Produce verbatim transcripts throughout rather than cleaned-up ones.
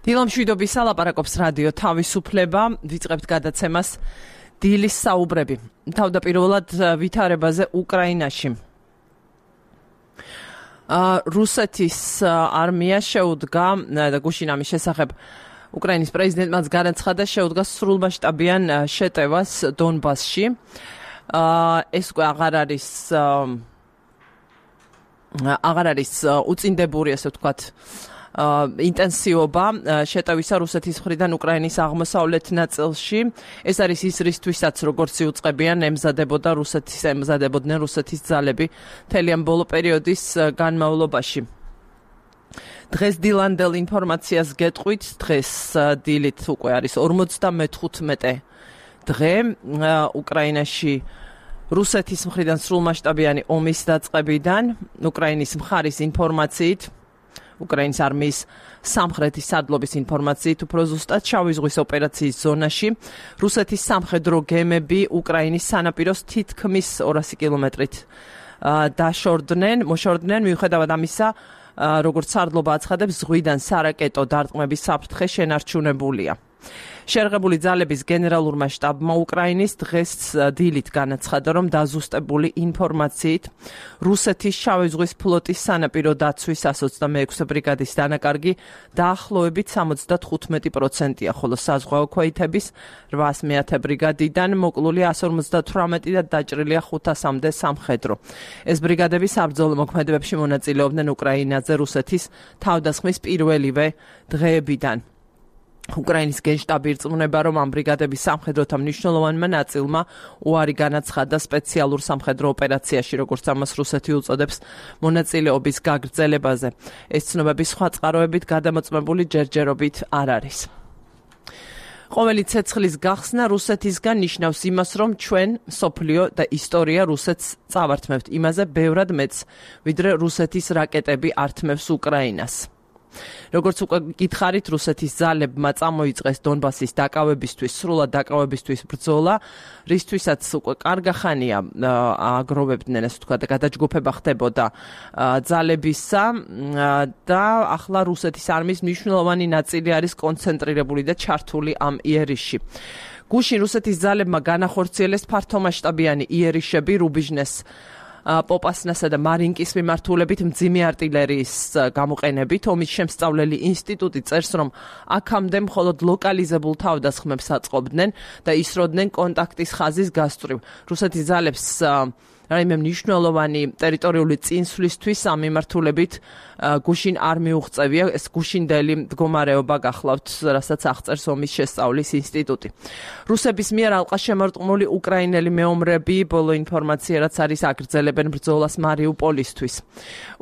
დილამშვიდობის ალაპარაკობს რადიო თავისუფლება, ვიწყებთ გადაცემას დილის საუბრები. თავდაპირველად ვითარებაზე უკრაინაში. რუსეთის არმია შეუდგა და გუშინ ამის შესახებ უკრაინის პრეზიდენტმაც განაცხადა, შეუდგა სრულმასშტაბიან შეტევას დონბასში. ეს უკვე აღარ არის აღარ არის უწინდებული, ასე ვთქვათ, ინტენსივობა შეტევისა რუსეთის მხრიდან უკრაინის აღმოსავლეთ ნაწილში. ეს არის ის რისთვისაც, როგორც იუწყებიან ემზადებოდა რუსეთის ემზადებოდნენ რუსეთის ძალები მთელი ამ ბოლო პერიოდის განმავლობაში. დღეს დილანდელ ინფორმაციას გეტყვით, დღეს დილით უკვე არის ორმოცდამეხუთმეტე დღე უკრაინაში რუსეთის მხრიდან სრულმასშტაბიანი ომის დაწყებიდან, უკრაინის მხარის ინფორმაციით, უკრაინის არმიის სამხრეთის სადლობის ინფორმაციით, უფრო ზუსტად შავი ზღვის ოპერაციის ზონაში რუსეთის სამხედრო გემები უკრაინის სანაპიროს თითქმის ორასი კილომეტრით დაშორდნენ, მოშორდნენ, მიუხედავად ამისა, როგორც სარდლობა აცხადებს, ზღვიდან სარაკეტო დარტყმების საფრთხე შენარჩუნებულია. შეერღებული ძალების გენერალურმა შტაბმა უკრაინის დღეს დილით განაცხადა, რომ დაზუსტებული ინფორმაციით რუსეთის შავი ზღვის ფლოტის სანაპირო დაცვის εκατს ოცდამეექვსე ბრიგადის დანაკარგი დაახლოებით სამოცდათხუთმეტი პროცენტია, ხოლო საზღვაო ქვეითების რვაასი ბრიგადიდან მოკლული εκατს ორმოცდათვრამეტი და დაჭრილია ხუთასამდე სამხედრო. ეს ბრიგადები საბრძოლო მოქმედებებში მონაწილეობდნენ უკრაინაზე რუსეთის თავდასხმის პირველივე დღეებიდან. უკრაინის გენშტაბი ირწმუნება, რომ ამ ბრიგადების სამხედროთა მნიშვნელოვანმა ნაწილმა უარი განაცხადა სპეციალურ სამხედრო ოპერაციაში, როგორც ამას რუსეთი უწოდებს, მონაწილეობის გაგრძელებაზე. ეს ცნობები სხვა წყაროებით გადამოწმებული ჯერჯერობით არ არის. ყოველი ცეცხლის გახსნა რუსეთისგან ნიშნავს იმას, რომ ჩვენ, მსოფლიო და ისტორია რუსეთს წავართმევთ იმაზე ბევრად მეც, ვიდრე რუსეთის რაკეტები ართმევს უკრაინას. როგორც უკვე გითხარით, რუსეთის ძალებმა წამოიწყეს დონბასის დაკავებისთვის, სრულად დაკავებისთვის ბრძოლა, რისთვისაც უკვე კარგა ხანია აგროვებდნენ, ასე ვთქვათ, გადაჯგუფება ხდებოდა ძალებისა და ახლა რუსეთის არმიის მნიშვნელოვანი ნაწილი არის კონცენტრირებული და ჩართული ამ იერიშში. გუშინ რუსეთის ძალებმა განახორციელეს ფართომასშტაბიანი იერიშები რუბიჟნეს, პოპასნასა და მარინკის მიმართულებით მძიმე არტილერიის გამოყენებით. ომის შემსწავლელი ინსტიტუტი წერს, რომ აქამდე მხოლოდ ლოკალიზებულ თავდასხმებს აწყობდნენ და ისროდნენ კონტაქტის ხაზის გასწვრივ. რუსეთის ძალებს რაიმე მნიშვნელოვანი ტერიტორიული წინსვლისთვის ამ მიმართულებით გუშინ არ მიუღწევია, ეს გუშინდელი მდგომარეობა გახლავთ, რასაც აღწერს ომის შესწავლის ინსტიტუტი. რუსების მიერ ალყა შემორტყმული უკრაინელი მეომრები ბოლო ინფორმაცია, რაც არის, აგრძელებენ ბრძოლას მარიუპოლისთვის.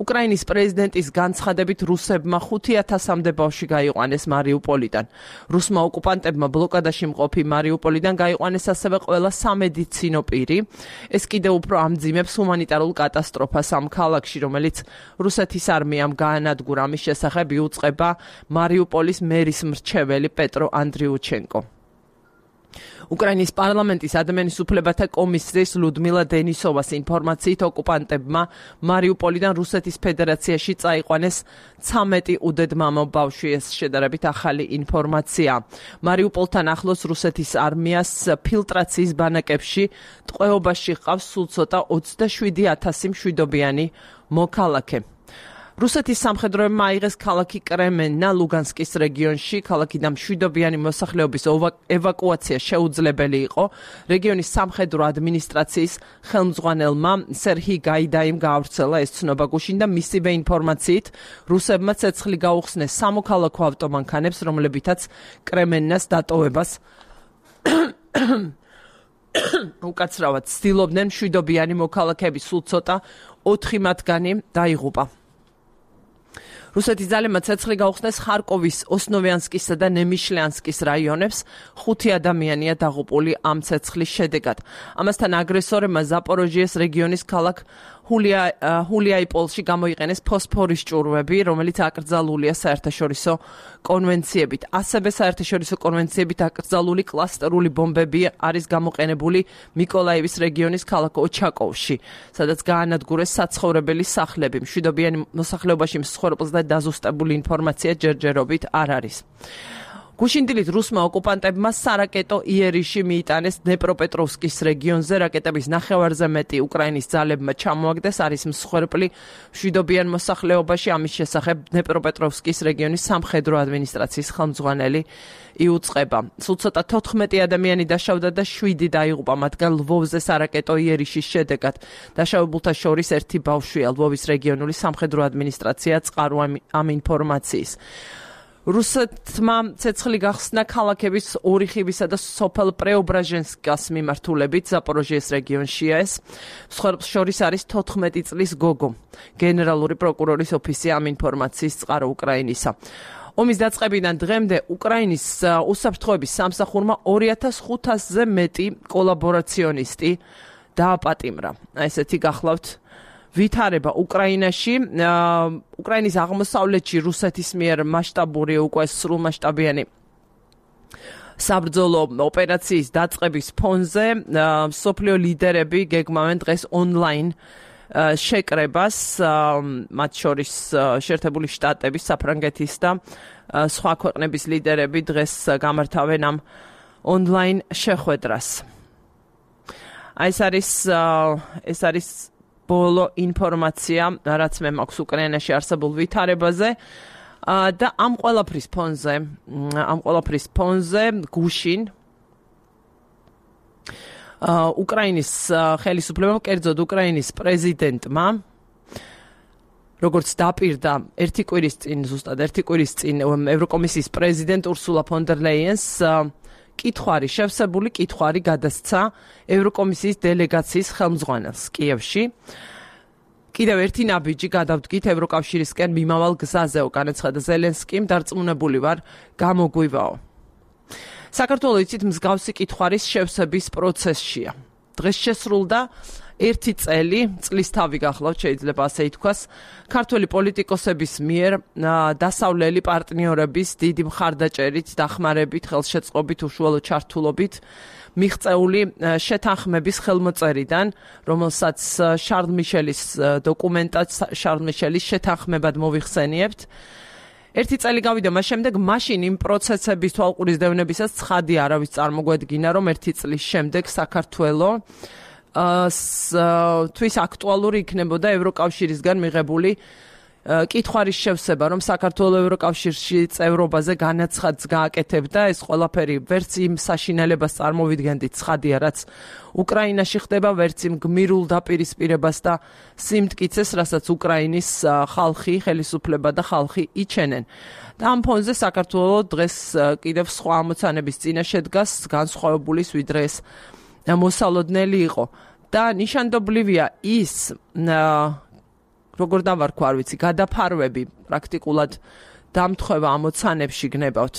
უკრაინის პრეზიდენტის განცხადებით რუსებმა ხუთი ათასამდე ბავშვი გაიყვანეს მარიუპოლიდან. რუსმა ოკუპანტებმა ბლოკადაში მყოფი მარიუპოლიდან გაიყვანეს ასევე ყველა სამედიცინო პირი. ეს კიდევ უფრო ამძიმებს ჰუმანიტარულ კატასტროფას ამ ქალაქში, რომელიც რუსეთის არმიამ გაანადგურა. ამის შესახებ იუწყება მარიუპოლის მერის მრჩეველი პეტრო ანდრიუჩენკო. უკრაინის პარლამენტის ადამიანის უფლებათა კომისრის ლუდმილა დენისოვას ინფორმაციით ოკუპანტებმა მარიუპოლიდან რუსეთის ფედერაციაში წაიყვანეს ცამეტი უდედმამო ბავშვი. ეს შედარებით ახალი ინფორმაცია. მარიუპოლთან ახლოს რუსეთის არმიას ფილტრაციის ბანაკებში ტყვეობაში ჰყავს სულ ცოტა ოცდაშვიდი ათასი მშვიდობიანი მოქალაქე. რუსეთის სამხედროებმა აიღეს ქალაქი კრემენა ლუგანსკის რეგიონში. ქალაქიდან მშვიდობიანი მოსახლეობის ევაკუაცია შეუძლებელი იყო. რეგიონის სამხედრო ადმინისტრაციის ხელმძღვანელმა სერჰი გაიდაიმ გაავრცელა ეს ცნობა გუშინ და მისივე ინფორმაციით რუსებმა ცეცხლი გაუხსნეს სამოქალაქო ავტომანქანებს, რომლებითაც კრემენას დატოვებას უკაცრავად ცდილობდნენ მშვიდობიანი მოქალაქეები, სულ ცოტა ოთხი მათგანი დაიღუპა. რუსეთის ძალებმა ცეცხლი გაუხსნეს ხარკოვის, ოსნოვიანსკისა და ნემიშლიანსკის რაიონებს. ხუთი ადამიანია დაღუპული ამ ცეცხლის შედეგად. ამასთან აგრესორებმა ზაპოროჟიეს რეგიონის ქალაქ ჰულია ჰულიაიპოლში გამოიყენეს ფოსფორის ჭურვები, რომელიც აკრძალულია საერთაშორისო კონვენციებით. ასევე საერთაშორისო კონვენციებით აკრძალული კლასტერული ბომბები არის გამოყენებული მიკოლაივის რეგიონის ქალაქ ოჩაკოვში, სადაც გაანადგურეს საცხოვრებელი სახლები. მშვიდობიანი მოსახლეობაში მსხვერპლს და დაზუსტებული ინფორმაცია ჯერჯერობით არ არის. გუშინ დილით რუსმა ოკუპანტებმა სარაკეტო იერიში მიიტანეს დნეპროპეტროვსკის რეგიონზე, რაკეტების ნახევარზე მეტი უკრაინის ძალებმა ჩამოაგდეს, არის მსხვერპლი მშვიდობიან მოსახლეობაში. ამის შესახებ დნეპროპეტროვსკის რეგიონის სამხედრო ადმინისტრაციის ხელმძღვანელი იუწყება. სულ ცოტა თოთხმეტი ადამიანი დაშავდა და შვიდი დაიღუპა, მათგან ლვოვზე სარაკეტო იერიშის შედეგად. დაშავებულთა შორის ერთი ბავშვია. ლვოვის რეგიონული სამხედრო ადმინისტრაცია წყარო ამ ინფორმაციის. რუსეთმა ცეცხლი გახსნა ქალაქების ორიხივისა და სოფელ პრეობრაჟენსკას მიმართულებით ზაპოროჟიეს რეგიონშია ეს. მსხვერპლს შორის არის თოთხმეტი წლის გოგო. გენერალური პროკურორის ოფისი ამ ინფორმაციის წყარო უკრაინისა. ომის დაწყებიდან დღემდე უკრაინის უსაფრთხოების სამსახურმა ორი ათას ხუთასზე მეტი კოლაბორაციონისტი დააპატიმრა. ესეთი გახლავთ ვითარება უკრაინაში, უკრაინის აღმოსავლეთში რუსეთის მიერ მასშტაბური უკვე სრულმასშტაბიანი საბრძოლო ოპერაციის დაწყების ფონზე მსოფლიო ლიდერები გეგმავენ დღეს ონლაინ შეკრებას, მათ შორის შეერთებული შტატების, საფრანგეთის და სხვა ქვეყნების ლიდერები დღეს გამართავენ ამ ონლაინ შეხვედრას. ეს არის ეს არის ბოლო ინფორმაცია, რაც მე მაქვს უკრაინაში არსებულ ვითარებაზე და ამ ყველაფრის ფონზე, ამ ყველაფრის ფონზე გუშინ უკრაინის ხელისუფლებამ, კერძოდ უკრაინის პრეზიდენტმა, როგორც დაპირდა ერთი კვირის წინ, ზუსტად ერთი კვირის წინ ევროკომისიის პრეზიდენტ ურსულა ფონ დერ ლაიენს კითხვარი, შევსებული კითხვარი გადასცა ევროკომისიის დელეგაციის ხელმძღვანელს კიევში. კიდევ ერთი ნაბიჯი გადავდგით ევროკავშირისკენ მიმავალ გზაზეო, განაცხადა ზელენსკიმ, დარწმუნებული ვარ, გამოგვივაო. საქართველო იცით მსგავსი კითხვარის შევსების პროცესშია. დღეს შესრულდა ერთი წელი, წლის თავი გახლავთ, შეიძლება ასე ითქვას, ქართველი პოლიტიკოსების მიერ დასავლელი პარტნიორების დიდი მხარდაჭერით, დახმარებით, ხელშეწყობით, უშუალო ჩართულობით მიღწეული შეთანხმების ხელმოწერიდან, რომელსაც შარლ მიშელის დოკუმენტად, შარლ მიშელის შეთანხმებად მოვიხსენიებთ. ერთი წელი გავიდა მას შემდეგ, მაშინ იმ პროცესების თვალყურის დევნებისას ცხადი არავის წარმოგვედგინა, რომ ერთი წლის შემდეგ საქართველო თვის აქტუალური იქნებოდა ევროკავშირისგან მიღებული კითხვარის შევსება, რომ საქართველო ევროკავშირში წევრობაზე განაცხადს გააკეთებდა. ეს ყველაფერი ვერც იმ საშინელებას წარმოვიდგენდით ცხადია, რაც უკრაინაში ხდება, ვერც იმ გმირულ დაპირისპირებას და სიმტკიცეს, რასაც უკრაინის ხალხი, ხელისუფლება და ხალხი იჩენენ. და ამ ფონზე საქართველო დღეს კიდევ სხვა ამოცანების წინაშე დგას, განსხვავებულის ვიდრე ეს მოსალოდნელი იყო და ნიშანდობლივია ის როგორ დავარქვა არ ვიცი გადაფარვები პრაქტიკულად დამთხევა ამოცანებში გნებავთ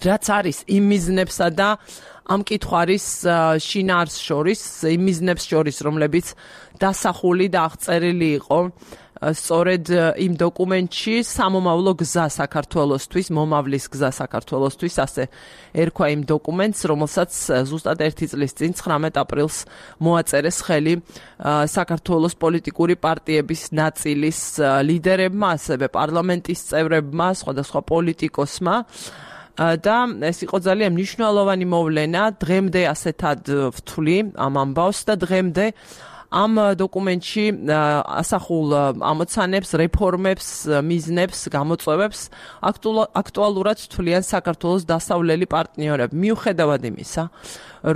რაც არის იმ მიზნებსა და ამ კითხვარის შინაარს შორის იმ მიზნებს შორის რომლებიც დასახული და აღწერილი იყო სწორედ იმ დოკუმენტში სამომავლო გზა საქართველოსთვის, მომავლის გზა საქართველოსთვის, ასე ერქვა იმ დოკუმენტს, რომელსაც ზუსტად ერთი წლის წინ ცხრამეტ აპრილს მოაწერეს ხელი საქართველოს პოლიტიკური პარტიების ნაწილის ლიდერებმა, ასევე პარლამენტის წევრებმა, სხვადასხვა პოლიტიკოსმა. და ეს იყო ძალიან მნიშვნელოვანი მოვლენა, დღემდე ასეთად ვთვლი ამ ამბავს და დღემდე ამ დოკუმენტში ასახულ ამოცანებს, რეფორმებს, მიზნებს, გამოწვევებს აქტუალურად თვლიან საქართველოს დასავლელი პარტნიორები. მიუხედავად იმისა,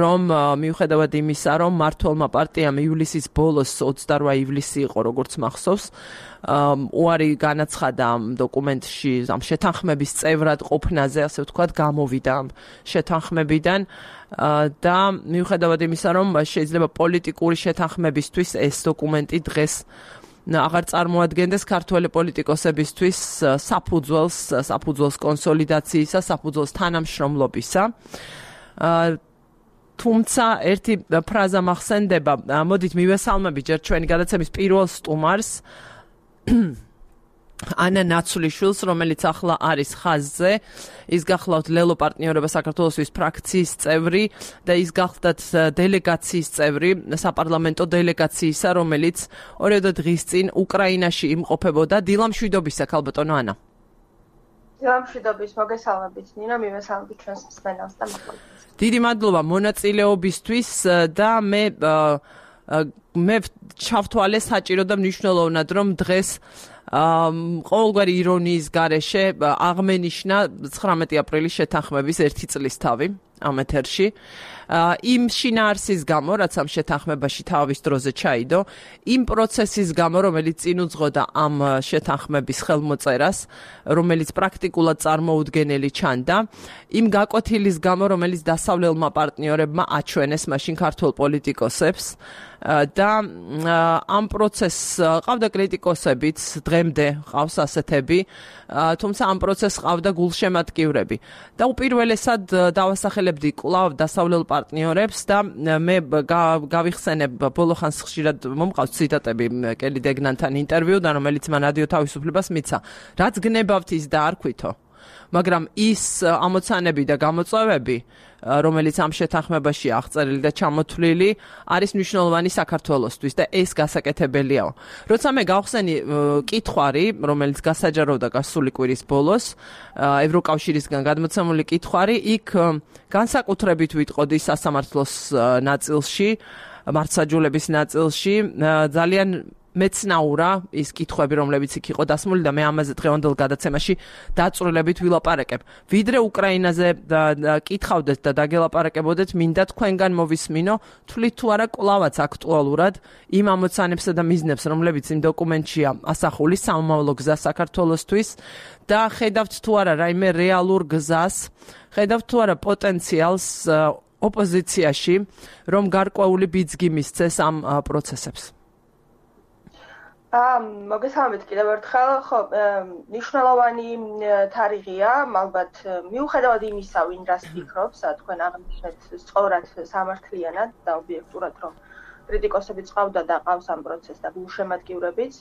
რომ მიუხედავად იმისა, რომ მმართველმა პარტიამ ივლისის ბოლოს ოცდარვა ივლისი იყო, როგორც მახსოვს, უარი განაცხადა ამ დოკუმენტში, ამ შეთანხმების წევრად ყოფნაზე, ასე ვთქვათ, გამოვიდა ამ შეთანხმებიდან და მიუხედავად იმისა, რომ შეიძლება პოლიტიკური შეთანხმებისთვის ეს დოკუმენტი დღეს აღარ წარმოადგენდეს ქართველი პოლიტიკოსებისთვის საფუძველს, საფუძველს კონსოლიდაციისა, საფუძველს თანამშრომლობისა. თუმცა ერთი ფრაზა მახსენდება, მოდით მივესალმებით ჯერ ჩვენი გადაცემის პირველ სტუმარს ანა ნაცვლიშვილს, რომელიც ახლა არის ხაზზე. ის გახლავთ ლელო პარტნიორობა საქართველოსთვის ფრაქციის წევრი და ის გახლდათ დელეგაციის წევრი, საპარლამენტო დელეგაციისა, რომელიც ორიოდე დღის წინ უკრაინაში იმყოფებოდა. დილამშვიდობისა, ქალბატონო ანა. დილამშვიდობის, მოგესალმებით ნინო, მივესალმებით ჩვენს მსმენელს და მოხალხეს. დიდი მადლობა მონაწილეობისთვის და მე მე ჩავთვალე საჭირო და მნიშვნელოვნად, რომ დღეს ყოველგვარი ირონიის გარეშე აღმენიშნა ცხრამეტი აპრილის შეთანხმების ერთი წლის თავი ამ ეთერში. იმ შინაარსის გამო, რაც ამ შეთანხმებაში თავის დროზე ჩაიდო, იმ პროცესის გამო, რომელიც წინ უძღოდა ამ შეთანხმების ხელმოწერას, რომელიც პრაქტიკულად წარმოუდგენელი ჩანდა, იმ გაკვეთილის გამო, რომელიც დასავლელმა პარტნიორებმა აჩვენეს მაშინ ქართულ პოლიტიკოსებს და ამ პროცესს ყავდა კრიტიკოსებიც, დღემდე ყავს ასეთები, თუმცა ამ პროცესს ყავდა გულშემატკივრები. და უპირველესად დავასახელებდი კვლავ დასავლელ პარტნიორებს და მე გავიხსენებ ბოლო ხანს ხშირად მომყავს ციტატები კელი დეგნანთან ინტერვიუდან, რომელიც მან რადიო თავისუფლებას მიცა. რაც გნებავთ ის და არ ქვითო. მაგრამ ის ამოცანები და გამოწვევები, რომელიც ამ შეთანხმებაში აღწერილი და ჩამოთვლილი, არის მნიშვნელოვანი საქართველოსთვის და ეს გასაკეთებელიაო. როცა მე გავხსენი კითხვარი, რომელიც გასაჯაროვდა გასული კვირის ბოლოს, ევროკავშირისგან გადმოცემული კითხვარი, იქ განსაკუთრებით ვიტყოდი სასამართლოს ნაწილში, მართლმსაჯულების ნაწილში, ძალიან მეცნაურა ის კითხვები, რომლებიც იქ იყო დასმული და მე ამაზე დღევანდელ გადაცემაში დაწვრილებით ვილაპარაკებ. ვიდრე უკრაინაზე კითხავდეთ და დაგელაპარაკებოდეთ, მინდა თქვენგან მოვისმინო, თვლით თუ არა კვლავაც აქტუალურად იმ ამოცანებსა და მიზნებს, რომლებიც იმ დოკუმენტშია ასახული, სამომავლო გზა საქართველოსთვის და ხედავთ თუ არა რაიმე რეალურ გზას, ხედავთ თუ არა პოტენციალს ოპოზიციაში, რომ გარკვეული ბიძგი მისცეს ამ პროცესებს. მოგესალმებით კიდევ ერთხელ. ხო, მნიშვნელოვანი თარიღია, ალბათ მიუხედავად იმისა, ვინ რას ფიქრობს, თქვენ აღნიშნეთ სწორად სამართლიანად და ობიექტურად, რომ კრიტიკოსებიც ყავდა და ყავს ამ პროცესს და გულშემატკივრებიც.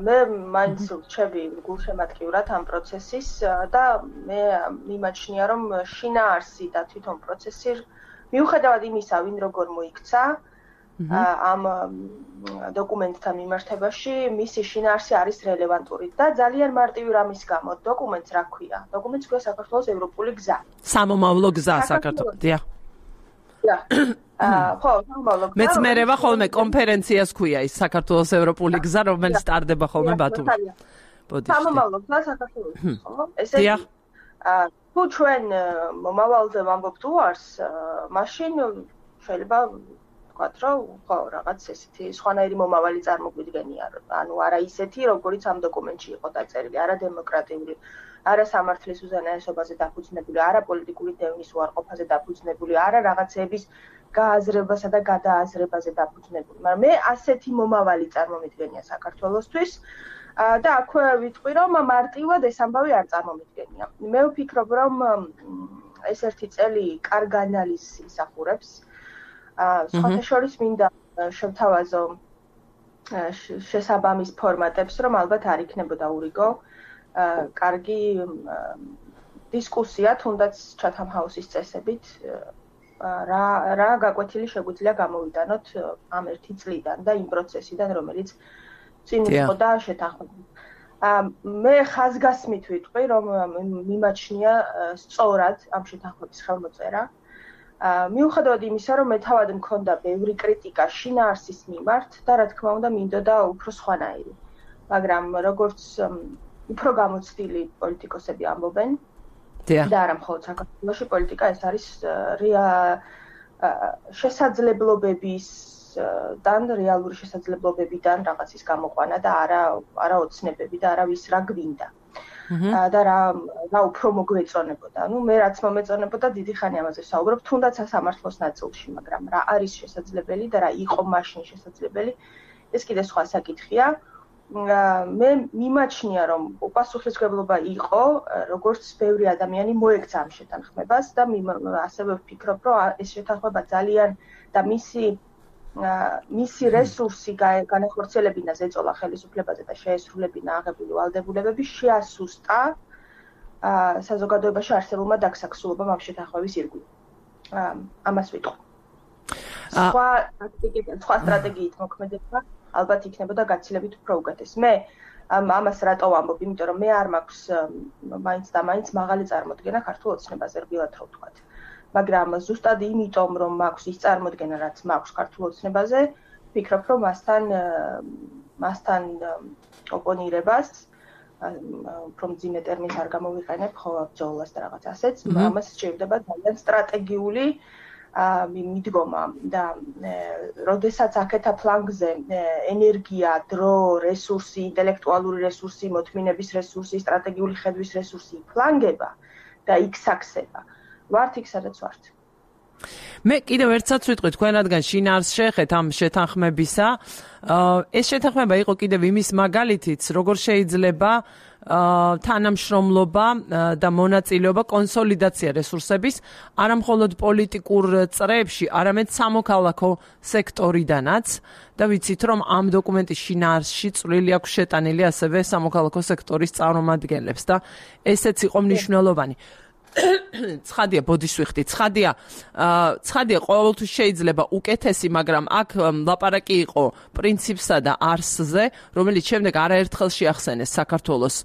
მე მაინც ვრჩები გულშემატკივრად ამ პროცესის და მე მიმაჩნია, რომ შინაარსი და თვითონ პროცესი მიუხედავად იმისა, ვინ როგორ მოიქცა, ამ დოკუმენტთან მიმართებაში მისი შინაარსი არის რელევანტური და ძალიან მარტივი რამის გამო დოკუმენტს რა ქვია? დოკუმენტს ქვია საქართველოს ევროპული გზა. სამომავლო გზა საქართველოს. დიახ. დიახ. ხო, სამომავლო გზა. მეც მერევა ხოლმე კონფერენციას ქვია ის საქართველოს ევროპული გზა, რომელიც ტარდება ხოლმე ბათუმში. სამომავლო გზა საქართველოს, ხო? ესე იგი, თუ ჩვენ მომავალზე ვამბობთ უარს, მაშინ შეიძლება ვთქვათ, რომ ხო, რაღაც ესეთი სხვანაირი მომავალი წარმოგვიდგენია, ანუ არა ისეთი, როგორიც ამ დოკუმენტში იყო დაწერილი, არა დემოკრატიული, არა სამართლის უზენაესობაზე დაფუძნებული, არა პოლიტიკური დევნის უარყოფაზე დაფუძნებული, არა რაღაცების გააზრებასა და გადააზრებაზე დაფუძნებული. მაგრამ მე ასეთი მომავალი წარმომიდგენია საქართველოსთვის და აქვე ვიტყვი, რომ მარტივად ეს ამბავი არ წარმომიდგენია. მე ვფიქრობ, რომ ეს ერთი წელი კარგ ანალიზს ისახურებს. სხვათა შორის მინდა შევთავაზო შესაბამის ფორმატებს, რომ ალბათ არ იქნებოდა ურიგო. კარგი დისკუსია, თუნდაც Chatham House-ის წესებით, რა რა გაკვეთილი შეგვიძლია გამოვიტანოთ ამ ერთი წლიდან და იმ პროცესიდან, რომელიც წინ უძღოდა შეთანხმებას. მე ხაზგასმით ვიტყვი, რომ მიმაჩნია სწორად ამ შეთანხმების ხელმოწერა. მიუხედავად იმისა, რომ მე თავად მქონდა ბევრი კრიტიკა შინაარსის მიმართ და რა თქმა უნდა მინდოდა უფრო სხვანაირი. მაგრამ როგორც უფრო გამოცდილი პოლიტიკოსები ამბობენ და არა მხოლოდ საქართველოში პოლიტიკა ეს არის შესაძლებლობებისგან, რეალური შესაძლებლობებიდან რაღაცის გამოყვანა და არა არა ოცნებები და არა ვის რა გვინდა. და რა რა უფრო მოგვეწონებოდა. ნუ მე რაც მომეწონებოდა დიდი ხანი ამაზე საუბრობ, თუნდაც სამართლოს ნაწილში, მაგრამ რა არის შესაძლებელი და რა იყო მაშინ შესაძლებელი, ეს კიდე სხვა საკითხია. მე მიმაჩნია რომ უპასუხისმგებლობა იყო, როგორც ბევრი ადამიანი მოექცა ამ შეთანხმებას და ასევე ვფიქრობ, რომ ეს შეთანხმება ძალიან და მისი მისი რესურსი განახორციელებინა ზეწოლა ხელისუფლებაზე და შეესრულებინა აღებული ვალდებულებები შეასუსტა საზოგადოებაში არსებულმა დაგსაქსულობამ ამ შეთანხმების ირგვლივ. ამას ვიტყვი. სხვა ტაქტიკით, სხვა სტრატეგიით მოქმედება ალბათ იქნებოდა გაცილებით უფრო უკეთესი. მე ამას რატო ვამბობ, იმიტომ რომ მე არ მაქვს მაინც და მაინც მაღალი წარმოდგენა ქართულ ოცნებაზე, რბილად რო ვთქვათ. მაგრამ ზუსტად იმიტომ რომ მაქვს ის წარმოდგენა, რაც მაქვს ქართულ ოცნებაზე, ვფიქრობ, რომ მასთან მასთან ოპონირებას, უფრო მძიმე ტერმინს არ გამოვიყენებ, ხო, ბრძოლას და რაღაც ასეც, ამას სჭირდება ძალიან სტრატეგიული მიდგომა და როდესაც აქეთა ფლანგზე ენერგია, დრო, რესურსი, ინტელექტუალური რესურსი, მოთმინების რესურსი, სტრატეგიული ხედვის რესურსი ფლანგება და იქ საქსება. ვართ იქ სადაც ვართ. მე კიდევ ერთსაც ვიტყვი თქვენ რადგან შინაარსს შეეხეთ ამ შეთანხმებისა, ეს შეთანხმება იყო კიდევ იმის მაგალითიც, როგორ შეიძლება თანამშრომლობა და მონაწილეობა კონსოლიდაცია რესურსების არა მხოლოდ პოლიტიკურ წრეებში, არამედ სამოქალაქო სექტორიდანაც და ვიცით რომ ამ დოკუმენტის შინაარსში წვლილი აქვს შეტანილი ასევე სამოქალაქო სექტორის წარმომადგენლებს და ესეც იყო მნიშვნელოვანი. ცხადია ბოდის ვიხდი, ცხადია ცხადია ყოველთვის შეიძლება უკეთესი, მაგრამ აქ ლაპარაკი იყო პრინციპსა და არსზე, რომელიც შემდეგ არაერთხელ შეახსენეს საქართველოს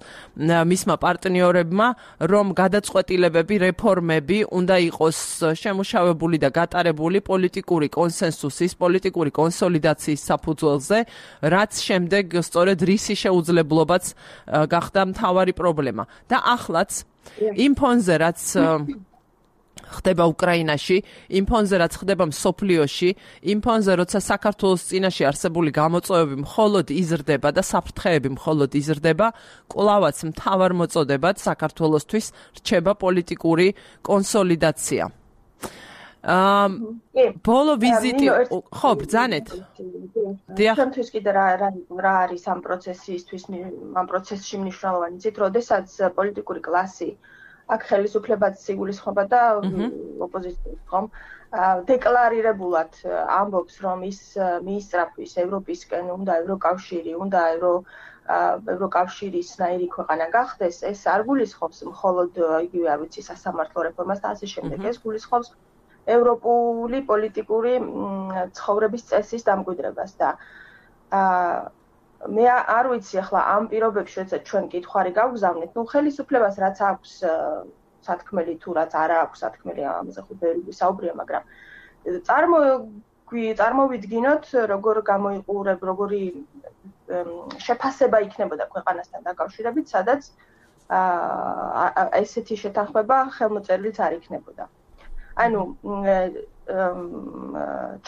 მისმა პარტნიორებმა, რომ გადაწყვეტილებები, რეფორმები უნდა იყოს შემუშავებული და გატარებული პოლიტიკური კონსენსუსის, პოლიტიკური კონსოლიდაციის საფუძველზე, რაც შემდეგ სწორედ რისი შეუძლებლობაც გახდა მთავარი პრობლემა. და ახლაც იმ ფონზე, რაც ხდება უკრაინაში, იმ ფონზე, რაც ხდება მსოფლიოში, იმ ფონზე, როცა საქართველოს წინაშე არსებული გამოწვევები მხოლოდ იზრდება და საფრთხეები მხოლოდ იზრდება, კვლავაც მთავარ მოწოდებად საქართველოსთვის რჩება პოლიტიკური კონსოლიდაცია. ბოლო ვიზიტი, ხო, ბრძანეთ. ჩვენთვის კიდე რა რა არის ამ პროცესისთვის, ამ პროცესში მნიშვნელოვანი, იცით, როდესაც პოლიტიკური კლასი აქ ხელისუფლებაც იგულისხმება და ოპოზიცია, ხომ? დეკლარირებულად ამბობს, რომ ის მიისწრაფვის ევროპისკენ, უნდა ევროკავშირი, უნდა ევრო ევროკავშირის ნაირი ქვეყანა გახდეს, ეს არ გულისხმობს მხოლოდ იგივე, არ ვიცი, სასამართლო რეფორმას და ასე შემდეგ, ეს გულისხმობს ევროპული პოლიტიკური ცხოვრების წესის დამკვიდრებას და მე არ ვიცი ახლა ამ პირობებში როდესაც ჩვენ კითხვარი გავგზავნეთ, ნუ ხელისუფლებას რაც აქვს სათქმელი თუ რაც არ აქვს სათქმელი, ამაზე ხო ბევრი ვისაუბრია, მაგრამ წარმო წარმოვიდგინოთ, როგორ გამოიყურებ, როგორი შეფასება იქნებოდა ქვეყანასთან დაკავშირებით, სადაც ესეთი შეთანხმება ხელმოწერილიც არ იქნებოდა. ანუ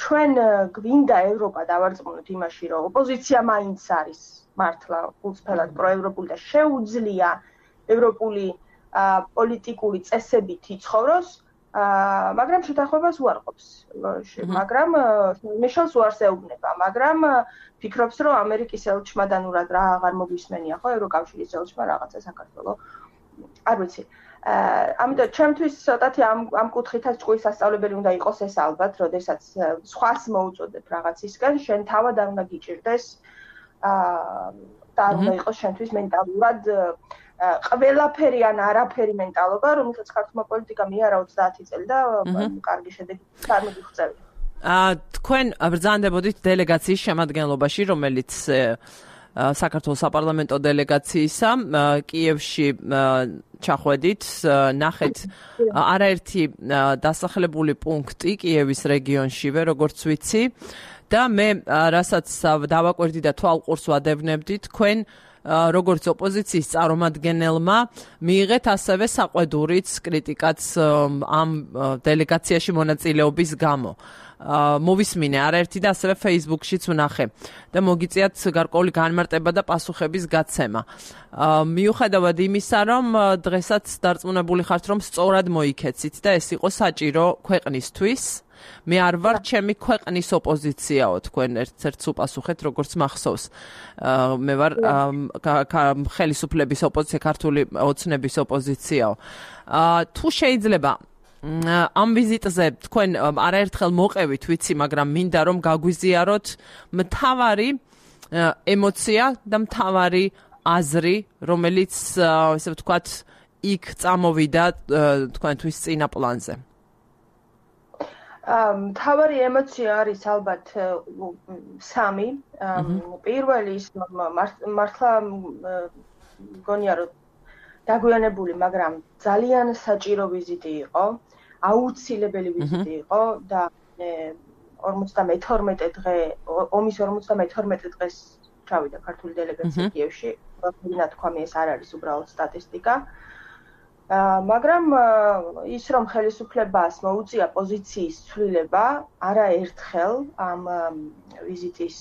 ჩვენ გვინდა ევროპა დავარწმუნოთ იმაში, რომ ოპოზიცია მაინც არის მართლა უცბად პროევროპული და შეუძლია ევროპული პოლიტიკური წესებით იცხოვროს, მაგრამ შეთანხმებას უარყოფს. მაგრამ მიშელს უარს ეუბნება, მაგრამ ფიქრობს, რომ ამერიკის ელჩმა და ნუ რა აღარ მოგვისმენია ხო ევროკავშირის ელჩმა რაღაცა საქართველოს. არ ვიცი. ამიტომ ჩემთვის ცოტათი ამ ამ კუთხითაც ჭკუის სასწავლებელი უნდა იყოს ეს ალბათ, როდესაც სხვას მოუწოდებ რაღაცისგან, შენ თავად არ უნდა გიჭირდეს და არ უნდა იყოს შენთვის მენტალურად ყველაფერი ან არაფერი მენტალობა, რომელსაც ქართულმა პოლიტიკამ მიარა ოცდაათი წელი და კარგი შედეგი არ მოგიღწევია. თქვენ ბრძანდებოდით დელეგაციის შემადგენლობაში, რომელიც საქართველოს საპარლამენტო დელეგაციისა კიევში ჩახვედით, ნახეთ არაერთი დასახლებული პუნქტი კიევის რეგიონშივე, როგორც ვიცი და მე რასაც დავაკვირდი და თვალყურს ვადევნებდი, თქვენ როგორც ოპოზიციის წარმომადგენელმა მიიღეთ ასევე საყვედურიც კრიტიკაც ამ დელეგაციაში მონაწილეობის გამო. მოვისმინე არაერთი და ასევე Facebook-შიც ვნახე და მოგიწიათ გარკვეული განმარტება და პასუხების გაცემა. მიუხედავად იმისა, რომ დღესაც დარწმუნებული ხართ, რომ სწორად მოიქეცით და ეს იყო საჭირო ქვეყნისთვის, მე არ ვარ ჩემი ქვეყნის ოპოზიციაო, თქვენ ერთ-ერთს უპასუხეთ, როგორც მახსოვს. მე ვარ ხელისუფლების ოპოზიცია, ქართული ოცნების ოპოზიციაო. თუ შეიძლება ამ ვიზიტზე თქვენ არაერთხელ მოყევით, ვიცი, მაგრამ მინდა რომ გაგვიზიაროთ მთავარი ემოცია და მთავარი აზრი, რომელიც ესე ვთქვათ, იქ წამოვიდა თქვენთვის წინა პლანზე. მთავარი ემოცია არის ალბათ სამი. პირველი ის მართლა მგონია რომ დაგვიანებული, მაგრამ ძალიან საჭირო ვიზიტი იყო, აუცილებელი ვიზიტი იყო და ორმოცდამეთორმეტე დღე, ომის ორმოცდამეთორმეტე დღეს ჩავიდა ქართული დელეგაცია კიევში. რა თქვა, მე ეს არ არის უბრალოდ სტატისტიკა. მაგრამ ის რომ ხელისუფლებას მოუწია პოზიციის ცვლილება არაერთხელ ამ ვიზიტის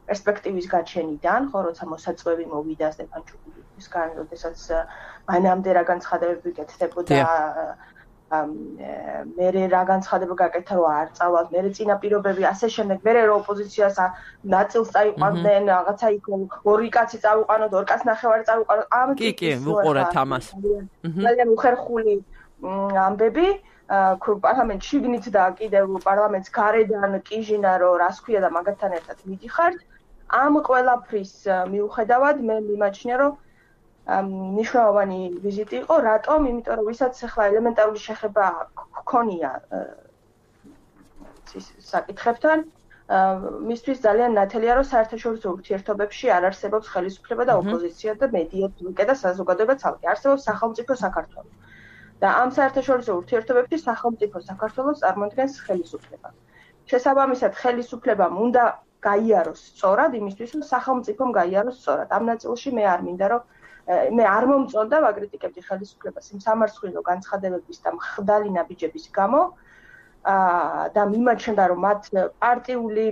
პერსპექტივის გაჩენიდან, ხო, როცა მოსაწვევი მოვიდა სტეფანჩუკისგან, როდესაც მანამდე რა განცხადებები გეკეთდებოდა, მერე რა განცხადება გაკეთა, რომ არ წავალთ, მერე წინაპირობები, ასე შემდეგ, მერე რომ ოპოზიციას ნაწილს წაიყვანდნენ, რაღაცა იქ ორი კაცი წავიყვანოთ, ორი კაც ნახევარი წავიყვანოთ, ამ კი, კი, ვუყურეთ ამას. ძალიან უხერხული ამბები, პარლამენტ შიგნით და კიდევ პარლამენტს გარედან კიჟინა, რომ რას ქვია და მაგათთან ერთად მიდიხართ. ამ ყველაფრის მიუხედავად მე მიმაჩნია, რომ მნიშვნელოვანი ვიზიტი იყო, რატომ? იმიტომ რომ ვისაც ახლა ელემენტარული შეხება ჰქონია საკითხებთან, მისთვის ძალიან ნათელია, რომ საერთაშორისო ურთიერთობებში არ არსებობს ხელისუფლება და ოპოზიცია და მედია და საზოგადოება ცალკე. არსებობს სახელმწიფო საქართველო. და ამ საერთაშორისო ურთიერთობებში სახელმწიფო საქართველოს წარმოადგენს ხელისუფლება. შესაბამისად, ხელისუფლებამ უნდა გაიაროს სწორად იმისთვის, რომ სახელმწიფომ გაიაროს სწორად. ამ ნაწილში მე არ მინდა, რომ მე არ მომწონდა ვაკრიტიკებდი ხელისუფლებას იმ სამარცხვინო განცხადებების და მხდალი ნაბიჯების გამო და მიმაჩნდა, რომ მათ პარტიული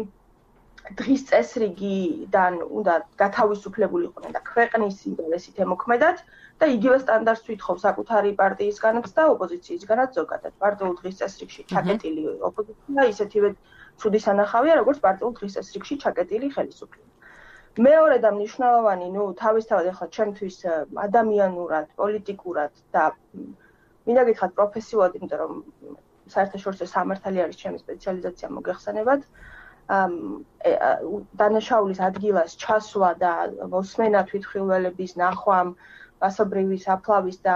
დღის წესრიგიდან უნდა გათავისუფლებულიყვნენ და ქვეყნის ინტერესით ემოქმედათ და იგივე სტანდარტს თვითხოვ საკუთარი პარტიისგანაც და ოპოზიციისგანაც ზოგადად. პარტიულ დღის წესრიგში ჩაკეტილი ოპოზიცია ისეთივე ცუდი სანახავია, როგორც პარტიულ დღის წესრიგში ჩაკეტილი ხელისუფლება. მეორე და მნიშვნელოვანი, ნუ თავისთავად ახლა ჩემთვის ადამიანურად, პოლიტიკურად და მინდა გითხრათ პროფესიულად, იმიტომ რომ საერთაშორისო სამართალი არის ჩემი სპეციალიზაცია მოგეხსენებათ. დანაშაულის ადგილას ჩასვლა და მოსმენა თვითმხილველების ნახვამ, მასობრივი საფლავის და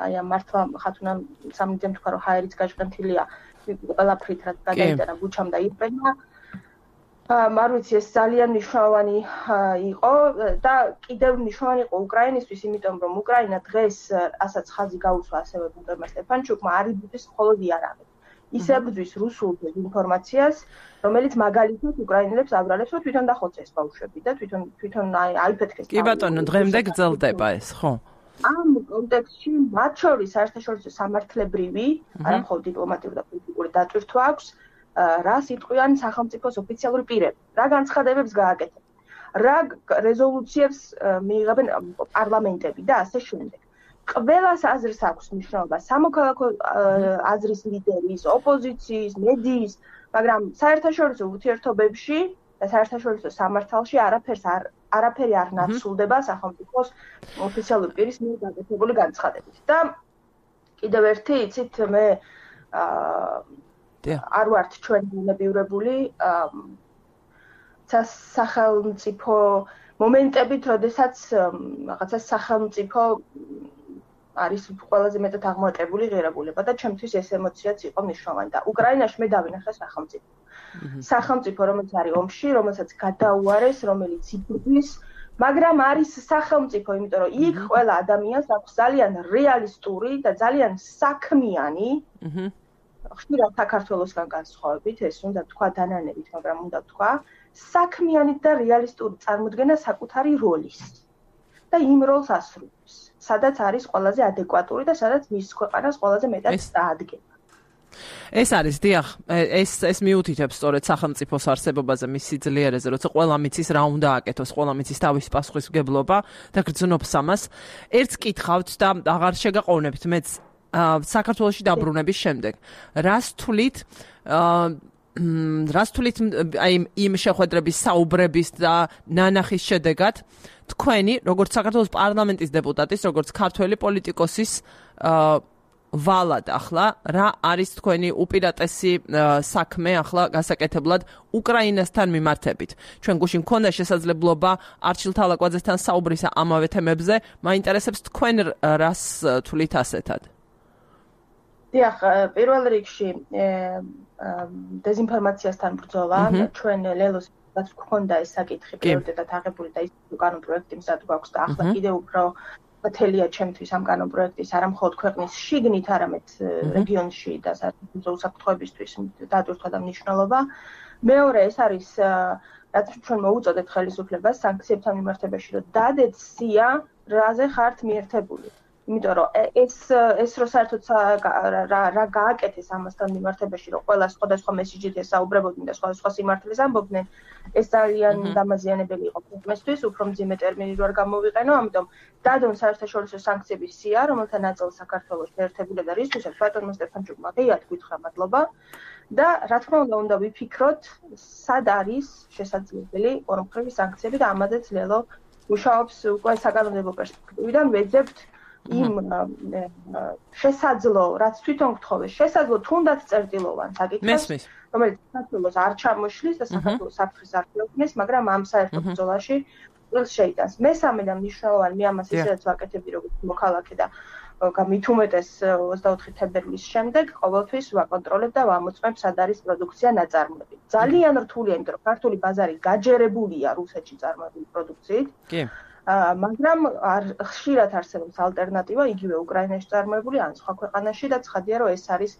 აი ამ მართლა ხათუნა სამნიტემ თქვა რომ ჰაერიც გაჟღენთილია ყველაფრით რაც გადაიტანა ბუჩამ და ირპენა. არ ვიცი, ეს ძალიან მნიშვნელოვანი იყო და კიდევ მნიშვნელოვანი იყო უკრაინისთვის, იმიტომ რომ უკრაინა დღეს, რასაც ხაზი გაუსვა ასევე ბუნტებმა სტეფანჩუკმა, არ იბრძვის მხოლოდ იარაღით. ის ებრძვის რუსულ ინფორმაციას, რომელიც მაგალითად უკრაინელებს აბრალებს, რომ თვითონ დახოცეს ბავშვები და თვითონ თვითონ აიფეთქეს. კი ბატონო, დღემდე გრძელდება ეს, ხო? ამ კონტექსტში მათ შორის საერთაშორისო სამართლებრივი, არა მხოლოდ დიპლომატიური და პოლიტიკური დატვირთვა აქვს, რას იტყვიან სახელმწიფოს ოფიციალური პირები, რა განცხადებებს გააკეთებენ, რა რეზოლუციებს მიიღებენ პარლამენტები და ასე შემდეგ. ყველას აზრს აქვს მნიშვნელობა სამოქალაქო აზრის ლიდერის, ოპოზიციის, მედიის, მაგრამ საერთაშორისო ურთიერთობებში და საერთაშორისო სამართალში არაფერს არ არაფერი არ ნაცვლდება სახელმწიფოს ოფიციალური პირის მიერ გაკეთებული განცხადებით. და კიდევ ერთი, იცით, მე არ ვართ ჩვენ ბუნებიურებული სახელმწიფო მომენტებით, როდესაც რაღაცა სახელმწიფო არის ყველაზე მეტად აღმატებული ღირებულება და ჩემთვის ეს ემოციაც იყო მნიშვნელოვანი და უკრაინაში მე დავინახე სახელმწიფო. სახელმწიფო, რომელიც არის ომში, რომელსაც გადაუარეს, რომელიც იბრძვის, მაგრამ არის სახელმწიფო, იმიტომ რომ იქ ყველა ადამიანს აქვს ძალიან რეალისტური და ძალიან საქმიანი ხშირად საქართველოსგან განსხვავებით, ეს უნდა თქვა დანანებით, მაგრამ უნდა თქვა საქმიანი და რეალისტური წარმოდგენა საკუთარი როლის და იმ როლს ასრულებს, სადაც არის ყველაზე ადეკვატური და სადაც მის ქვეყანას ყველაზე მეტად დაადგება. ეს არის, დიახ, ეს ეს მიუთითებს სწორედ სახელმწიფოს არსებობაზე, მის სიძლიერეზე, როცა ყველა მიცის რა უნდა აკეთოს, ყველა მიცის თავის პასუხისმგებლობა და გრძნობს ამას. ერთს კითხავთ და აღარ შეგაყოვნებთ, მეც საქართველოში დაბრუნების შემდეგ. რას თვლით რას თვლით აი იმ შეხვედრების საუბრების და ნანახის შედეგად თქვენი როგორც საქართველოს პარლამენტის დეპუტატის, როგორც ქართველი პოლიტიკოსის ვალად ახლა რა არის თქვენი უპირატესი საქმე ახლა გასაკეთებლად უკრაინასთან მიმართებით. ჩვენ გუშინ მქონდა შესაძლებლობა არჩილ თალაკვაძესთან საუბრისა ამავე თემებზე. მაინტერესებს თქვენ რას თვლით ასეთად? დიახ, პირველ რიგში დეზინფორმაციასთან ბრძოლა, ჩვენ ლელოს გქონდა ეს საკითხი პრიორიტეტად აღებული და ის უკანონო პროექტი მზად გვაქვს და ახლა კიდევ უფრო მთელია ჩემთვის ამ კანონ პროექტის არა მხოლოდ ქვეყნის შიგნით, არამედ რეგიონში და საერთო უსაფრთხოებისთვის დატვირთვა და მნიშვნელობა. მეორე ეს არის რაც ჩვენ მოუწოდეთ ხელისუფლებას სანქციებთან მიმართებაში, რომ დადეთ სია, რაზე ხართ მიერთებული. იმიტომ რომ ეს ეს რო საერთოდ რა გააკეთეს ამასთან მიმართებაში, რომ ყველა სხვადასხვა მესიჯით ესაუბრებოდნენ და სხვადასხვა სიმართლეს ამბობდნენ, ეს ძალიან დამაზიანებელი იყო ქვეყნისთვის, უფრო მძიმე ტერმინი რო არ გამოვიყენო, ამიტომ დადონ საერთაშორისო სანქციების სია, რომელთა ნაწილს საქართველოს შეერთებული და რისთვისაც ბატონმა სტეფანჩუკმა ღიად გითხრა მადლობა და რა თქმა უნდა უნდა ვიფიქროთ, სად არის შესაძლებელი ორმხრივი სანქციები და ამაზეც ლელო მუშაობს უკვე საკანონმდებლო პერსპექტივიდან ვეძებთ იმ შესაძლო, რაც თვითონ გთხოვეს, შესაძლო თუნდაც წერტილოვან საკითხს, რომელიც საქართველოს არ ჩამოშლის და საქართველოს საფრთხეს არ შეუქმნის, მაგრამ ამ საერთო ბრძოლაში წილს შეიტანს. მესამე და მნიშვნელოვანი მე ამას ისედაც ვაკეთებდი როგორც მოქალაქე და მით უმეტეს ოცდაოთხი თებერვლის შემდეგ ყოველთვის ვაკონტროლებ და ვამოწმებ სად არის პროდუქცია ნაწარმოები. ძალიან რთულია, იმიტომ რომ ქართული ბაზარი გაჯერებულია რუსეთში წარმოებული პროდუქციით. კი. მაგრამ ხშირად არსებობს ალტერნატივა, იგივე უკრაინაში წარმოებული ან სხვა ქვეყანაში და ცხადია, რომ ეს არის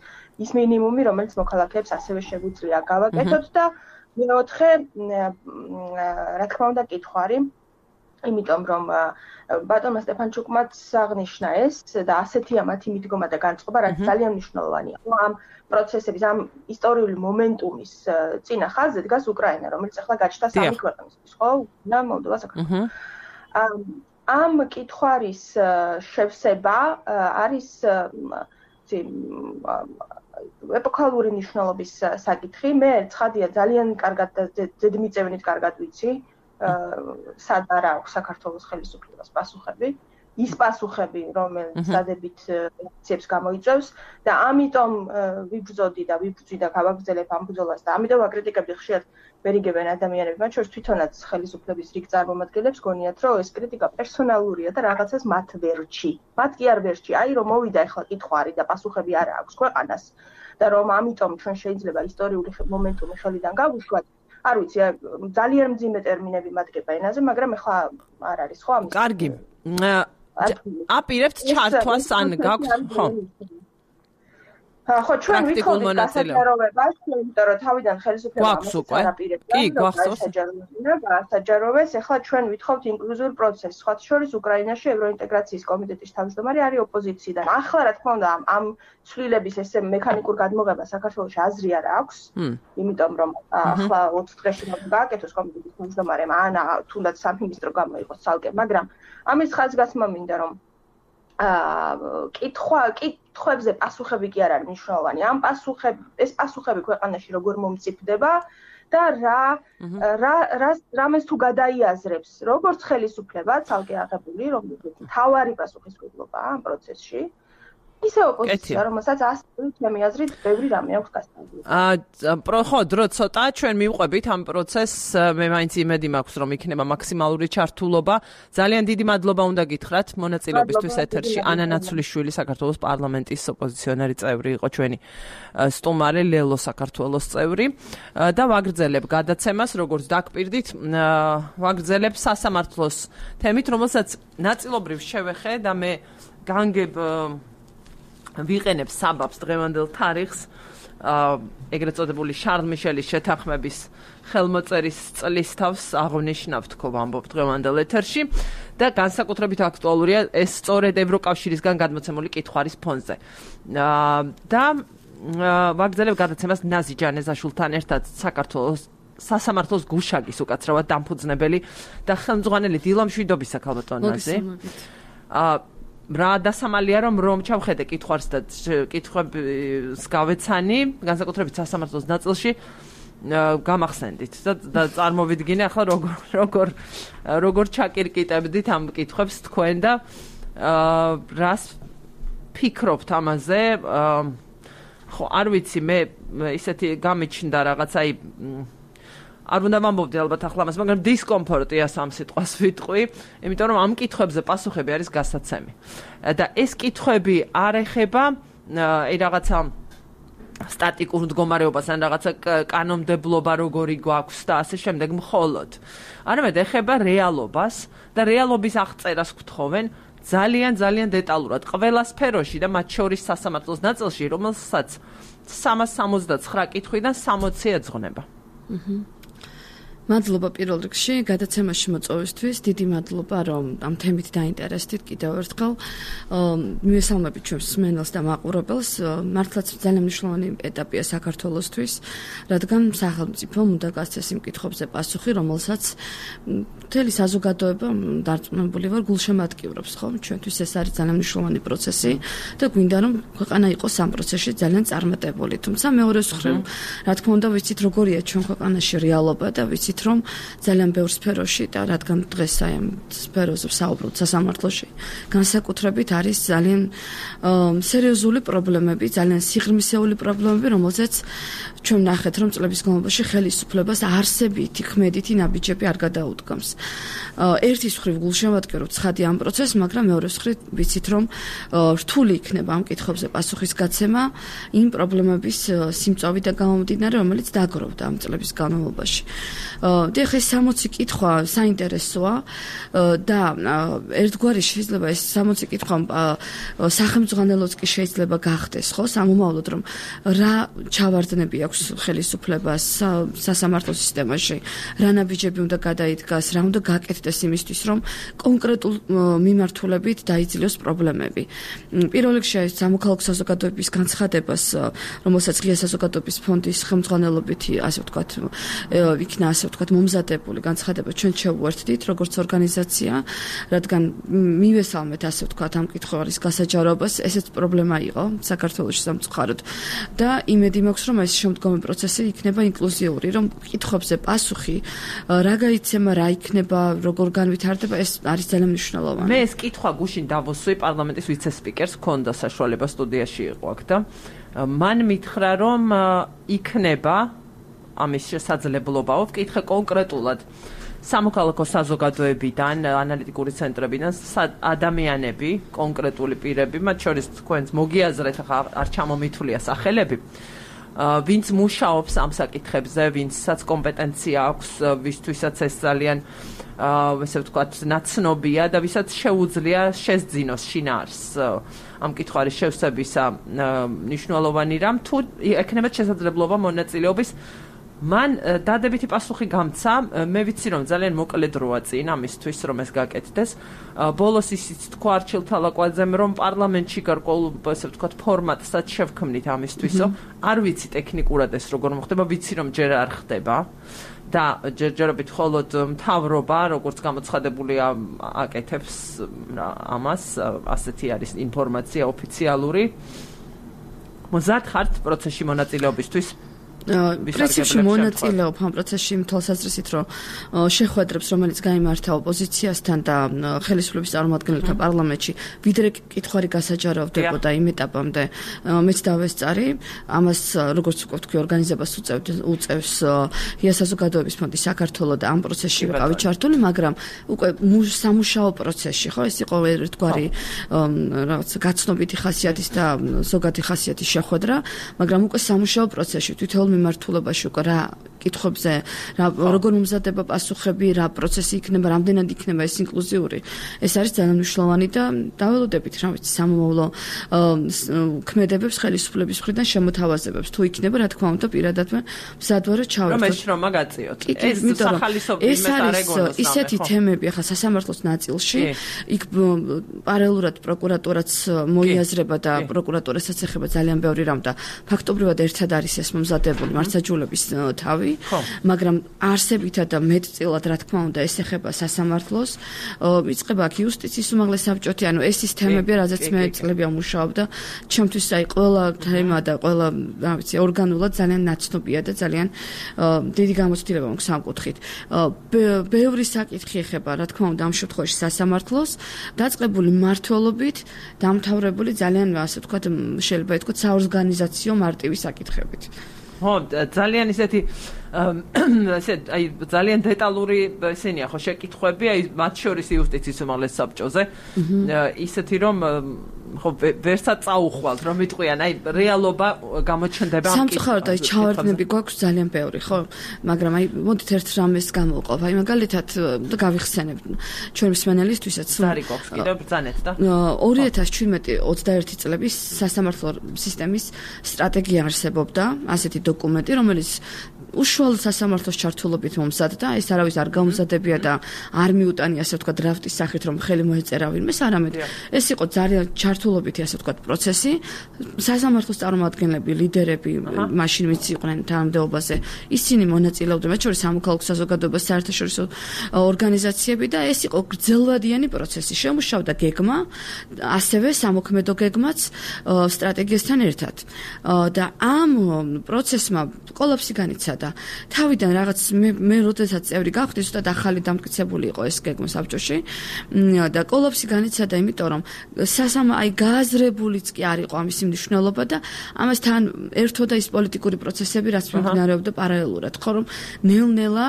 ის მინიმუმი, რომელიც მოქალაქეებს ასევე შეგვიძლია გავაკეთოთ და მეოთხე, რა თქმა უნდა, კითხვარი, იმიტომ რომ ბატონმა სტეფანჩუკმაც აღნიშნა ეს და ასეთია მათი მიდგომა და განწყობა, რაც ძალიან მნიშვნელოვანია. ამ პროცესების, ამ ისტორიული მომენტუმის წინა ხაზზე დგას უკრაინა, რომელიც ახლა გაჩნდა სამი ქვეყნისთვის, ხო? და მოლდოვა, საქართველო. ამ კითხვარის შევსება არის ეპოქალური მნიშვნელობის საკითხი. მე ცხადია ძალიან კარგად და ზედმიწევნით კარგად ვიცი, სად არა აქვს საქართველოს ხელისუფლებას პასუხები, ის პასუხები, რომელიც სადებით აქციებს გამოიწვევს და ამიტომ ვიბრძოდი და ვიბრძვი და გავაგრძელებ ამ ბრძოლას და ამიტომ ვაკრიტიკებდი ხშირად ვერიგებენ ადამიანები, მათ შორის თვითონაც ხელისუფლების რიგ წარმომადგენლებს გონიათ, რომ ეს კრიტიკა პერსონალურია და რაღაცას მათ ვერჩი. მათ კი არ ვერჩი, აი რომ მოვიდა ახლა კითხვარი და პასუხები არა აქვს ქვეყანას და რომ ამიტომ ჩვენ შეიძლება ისტორიული მომენტუმი ხელიდან გავუშვათ. არ ვიცი, ძალიან მძიმე ტერმინები მადგება ენაზე, მაგრამ ახლა არ არის ხო ამის. კარგი. აპირებთ ჩართვას ან გაქვს ხო? ხო, ჩვენ ვიქოლდით გასაჯაროვებას, იმიტომ რომ თავიდან ხელისუფლება ამასარაპირებდა. კი, გვახსოვს. გასაჯაროვეს, ახლა ჩვენ ვითხოვთ ინკლუზიურ პროცესს. სხვათა შორის უკრაინაში ევროინტეგრაციის კომიტეტის თავმჯდომარე არის ოპოზიციიდან. ახლა რა თქმა უნდა ამ ცვლილების ესე მექანიკურ გადმოღებას საქართველოს აზრი არ აქვს, იმიტომ რომ ახლა ოც დღეში გააკეთოს კომიტეტის თავმჯდომარემ ან თუნდაც სამინისტრო გამოიყოს ცალკე, მაგრამ ამის ხაზგასმა მინდა რომ აა კითხვა კითხვებზე პასუხები კი არ არის მნიშვნელოვანი. ამ პასუხები ეს პასუხები ქვეყანაში როგორ მომწიფდება და რა რა რამეს თუ გადაიაზრებს როგორც ხელისუფლება ცალკე აღებული, რომელიც თავარი პასუხისმგებლობაა ამ პროცესში. ისე ოპოზიცია, რომელსაც ასეთი ჩემი აზრით ბევრი რამე აქვს გასწავლილი. აა ხო, დრო ცოტა ჩვენ მივყვებით ამ პროცესს, მე მაინც იმედი მაქვს, რომ იქნება მაქსიმალური ჩართულობა. ძალიან დიდი მადლობა უნდა გითხრათ მონაწილეობისთვის ეთერში. ანა ნაცვლიშვილი, საქართველოს პარლამენტის ოპოზიციონერი წევრი იყო ჩვენი სტუმარი, ლელო საქართველოს წევრი და ვაგრძელებ გადაცემას, როგორც დაგპირდით, ვაგრძელებ სასამართლოს თემით, რომელსაც ნაწილობრივ შევეხე და მე განგებ ვიყენებ საბაბს დღევანდელ თარიღს, ეგრეთ წოდებული შარლ მიშელის შეთანხმების ხელმოწერის წლის თავს აღნიშნავ თქო ვამბობ დღევანდელ ეთერში და განსაკუთრებით აქტუალურია ეს სწორედ ევროკავშირისგან გადმოცემული კითხვარის ფონზე. და ვაგრძელებ გადაცემას ნაზი ჯანეზაშვილთან ერთად საქართველოს სასამართლოს გუშაგის უკაცრავად დამფუძნებელი და ხელმძღვანელი დილა მშვიდობისა ქალბატონ ნაზი. რა დასამალია რომ რომ ჩავხედე კითხვას და კითხვებს გავეცანი, განსაკუთრებით სასამართლოს ნაწილში გამახსენდით და წარმოვიდგინე ახლა როგორ როგორ როგორ ჩაკირკიტებდით ამ კითხვებს თქვენ და რას ფიქრობთ ამაზე? ხო, არ ვიცი, მე ისეთი გამიჩნდა რაღაც აი არ უნდა ვამბობდი ალბათ ახლა მას, მაგრამ დისკომფორტია სამ სიტყვას ვიტყვი, იმიტომ რომ ამ კითხვებზე პასუხები არის გასაცემი. და ეს კითხვები არ ეხება აი რაღაცა სტატიკურ მდგომარეობას ან რაღაცა კანონმდებლობა როგორი გვაქვს და ასე შემდეგ მხოლოდ. არამედ ეხება რეალობას და რეალობის აღწერას გთხოვენ ძალიან ძალიან დეტალურად ყველა სფეროში და მათ შორის სასამართლოს ნაწილში, რომელსაც სამას სამოცდაცხრა კითხვიდან სამოცი ეძღვნება. აჰა. მადლობა პირველ რიგში გადაცემაში მოწვევისთვის, დიდი მადლობა რომ ამ თემით დაინტერესდით კიდევ ერთხელ. მივესალმებით ჩვენს მსმენელს და მაყურებელს. მართლაც ძალიან მნიშვნელოვანი ეტაპია საქართველოსთვის, რადგან სახელმწიფომ უნდა გასცეს იმ კითხვებზე პასუხი, რომელსაც მთელი საზოგადოება დარწმუნებული ვარ გულშემატკივრობს, ხო? ჩვენთვის ეს არის ძალიან მნიშვნელოვანი პროცესი და გვინდა რომ ქვეყანა იყოს ამ პროცესში ძალიან წარმატებული. თუმცა მეორე მხრივ, რა თქმა უნდა, ვიცით როგორია ჩვენ ქვეყანაში რეალობა და ვიცით რომ ძალიან ბევრ სფეროში და რადგან დღეს აი ამ სფეროზე ვსაუბრობთ სასამართლოში, განსაკუთრებით არის ძალიან სერიოზული პრობლემები, ძალიან სიღრმისეული პრობლემები, რომელზეც ჩვენ ნახეთ რომ წლების განმავლობაში ხელისუფლებას არსებითი ქმედითი ნაბიჯები არ გადაუდგამს. ერთის მხრივ გულშემატკივრობთ ცხადი ამ პროცესს, მაგრამ მეორე მხრივ ვიცით რომ რთული იქნება ამ კითხვებზე პასუხის გაცემა იმ პრობლემების სიმწავიდან გამომდინარე, რომელიც დაგროვდა ამ წლების განმავლობაში. და ხე სამოცი კითხვა საინტერესოა და ერთგვარი შეიძლება ეს სამოცი კითხვა სახელმძღვანელოც კი შეიძლება გახდეს, ხო, სამომავლოდ რომ რა ჩავარდნები აქვს ხელისუფლებას სასამართლო სისტემაში, რა ნაბიჯები უნდა გადაიდგას, რა უნდა გაკეთდეს იმისთვის, რომ კონკრეტულ მიმართულებით დაიძლიოს პრობლემები. პირველ რიგში ეს სამოქალაქო საზოგადოების განცხადებას, რომელსაც ღია საზოგადოების ფონდის ხელმძღვანელობით, ასე ვთქვათ, იქნა ასე ვთქვათ მომზადებული განცხადება ჩვენ შევუერთდით როგორც ორგანიზაცია, რადგან მივესალმეთ ასე ვთქვათ ამ კითხვის გასაჯაროებას, ესეც პრობლემა იყო საქართველოში სამწუხაროდ და იმედი მაქვს რომ ეს შემდგომი პროცესი იქნება ინკლუზიური, რომ კითხვებზე პასუხი რა გაიცემა, რა იქნება, როგორ განვითარდება, ეს არის ძალიან მნიშვნელოვანი. მე ეს კითხვა გუშინ დავუსვი პარლამენტის ვიცე-სპიკერს, ჰქონდა საშუალება სტუდიაში იყო აქ და მან მითხრა რომ იქნება ამის შესაძლებლობაო, ვკითხე კონკრეტულად სამოქალაქო საზოგადოებიდან, ანალიტიკური ცენტრებიდან ადამიანები, კონკრეტული პირები, მათ შორის თქვენს მოგიაზრეთ, ახლა არ ჩამომითვლია სახელები, ვინც მუშაობს ამ საკითხებზე, ვინცაც კომპეტენცია აქვს, ვისთვისაც ეს ძალიან ესე ვთქვათ, ნაცნობია და ვისაც შეუძლია შესძინოს შინაარს ამ კითხვის შევსებისა მნიშვნელოვანი რამ, თუ ექნებათ შესაძლებლობა მონაწილეობის. მან დადებითი პასუხი გამცა, მე ვიცი რომ ძალიან მოკლე დროა წინ ამისთვის რომ ეს გაკეთდეს. ბოლოს ისიც თქვა არჩილ თალაკვაძემ რომ პარლამენტში გარკვეულ ასე ვთქვათ ფორმატსაც შევქმნით ამისთვისო. არ ვიცი ტექნიკურად ეს როგორ მოხდება, ვიცი რომ ჯერ არ ხდება და ჯერჯერობით მხოლოდ მთავრობა როგორც გამოცხადებულია აკეთებს ამას, ასეთი არის ინფორმაცია ოფიციალური. მოზარდ ხართ პროცესში მონაწილეობისთვის? პრინციპში მონაწილეობ ამ პროცესში იმ თვალსაზრისით, რომ შეხვედრებს, რომელიც გაიმართა ოპოზიციასთან და ხელისუფლების წარმომადგენელთა პარლამენტში, ვიდრე კითხვარი გასაჯაროვდებოდა იმ ეტაპამდე, მეც დავესწარი. ამას, როგორც ვთქვი, ორგანიზებას უწევს ღია საზოგადოების ფონდი საქართველოს და ამ პროცესში ვიყავი ჩართული, მაგრამ უკვე სამუშაო პროცესში, ხო, ეს იყო ერთგვარი რაღაც გაცნობიტი ხასიათის და ზოგადი ხასიათის შეხვედრა, მაგრამ უკვე სამუშაო პროცესში თვითონ მიმართულებაში უკვე რა კითხვებზე, რა როგორ მომზადება პასუხები, რა პროცესი იქნება, რამდენად იქნება ეს ინკლუზიური. ეს არის ძალიან მნიშვნელოვანი და დაველოდებით, რა ვიცი, სამომავლო ქმედებებს ხელისუფლების მხრიდან შემოთავაზებებს. თუ იქნება, რა თქმა უნდა, პირადადმე მზადვარო ჩავერთოთ. რომ ეს შრომა გაწიოთ. ეს სახალისობის მეტარეგონოს ისეთი თემები ახლა სასამართლოს ნაწილში, იქ პარალელურად პროკურატურაც მოიაზრება და პროკურატურასაც ეხება ძალიან ბევრი რამ და ფაქტობრივად ერთად არის ეს მომზადებული მართლმსაჯულების თავი ვარ, მაგრამ არსებითად და მეტწილად რა თქმა უნდა ეს ეხება სასამართლოს, იწყება აქ იუსტიციის უმაღლესი საბჭოთი, ანუ ეს ის თემები, რაზეც მე წლები ამუშავებ და ჩემთვის აი ყველა თემა და ყველა რა ვიცი ორგანულად ძალიან ნაცნობია და ძალიან დიდი გამოცდილება მაქვს ამ კუთხით. ბევრი საკითხი ეხება რა თქმა უნდა ამ შემთხვევაში სასამართლოს, დაწყებული მმართველობით, დამთავრებული ძალიან ასე ვთქვათ, შეიძლება ითქვათ საორგანიზაციო მარტივი საკითხებით. ხო, ძალიან ისეთი ესე აი ძალიან დეტალური ესენია ხო შეკითხვები, აი მათ შორის იუსტიციის უმაღლეს საბჭოზე. ისეთი რომ ხო ვერცად წაუხვალთ რომ იტყვიან, აი რეალობა გამოჩნდება ამ კითხვაზე. სამწუხაროდ აი ჩავარდნები გვაქვს ძალიან ბევრი, ხო? მაგრამ აი მოდით ერთ რამეს გამოვყავ. აი მაგალითად და გავიხსენებ ჩვენ მსმენელისთვისაც. ზარი გვაქვს კიდევ ბრძანეთ და ორი ათას შვიდმეტი ოცდაერთი წლების სასამართლო სისტემის სტრატეგია არსებობდა, ასეთი დოკუმენტი, რომელიც უშუალოდ სასამართლოს ჩართულობით მომზადდა, ეს არავის არ გამზადებია და არ მიუტანია ასე ვთქვათ დრაფტის სახით რომ ხელი მოეწერა ვინმეს, არამედ ეს იყო ძალიან ჩართულობითი ასე ვთქვათ პროცესი. სასამართლოს წარმომადგენლები, ლიდერები, მაშინ ვინც იყვნენ თანამდებობაზე, ისინი მონაწილეობდნენ, მათ შორის სამოქალაქო საზოგადოება, საერთაშორისო ორგანიზაციები და ეს იყო გრძელვადიანი პროცესი. შემუშავდა გეგმა, ასევე სამოქმედო გეგმაც სტრატეგიასთან ერთად. და ამ პროცესმა კოლაფსი განიცადა. თავიდან რაღაც მე მე როდესაც წევრი გავხდი, ზუსტად ახალი დამტკიცებული იყო ეს გეგმა საბჭოში და კოლაფსი განიცადა, იმიტომ რომ სასამა აი გააზრებულიც კი არ იყო ამის მნიშვნელობა და ამასთან ერთოდა ის პოლიტიკური პროცესები, რაც მიმდინარეობდა პარალელურად, ხო რომ ნელ-ნელა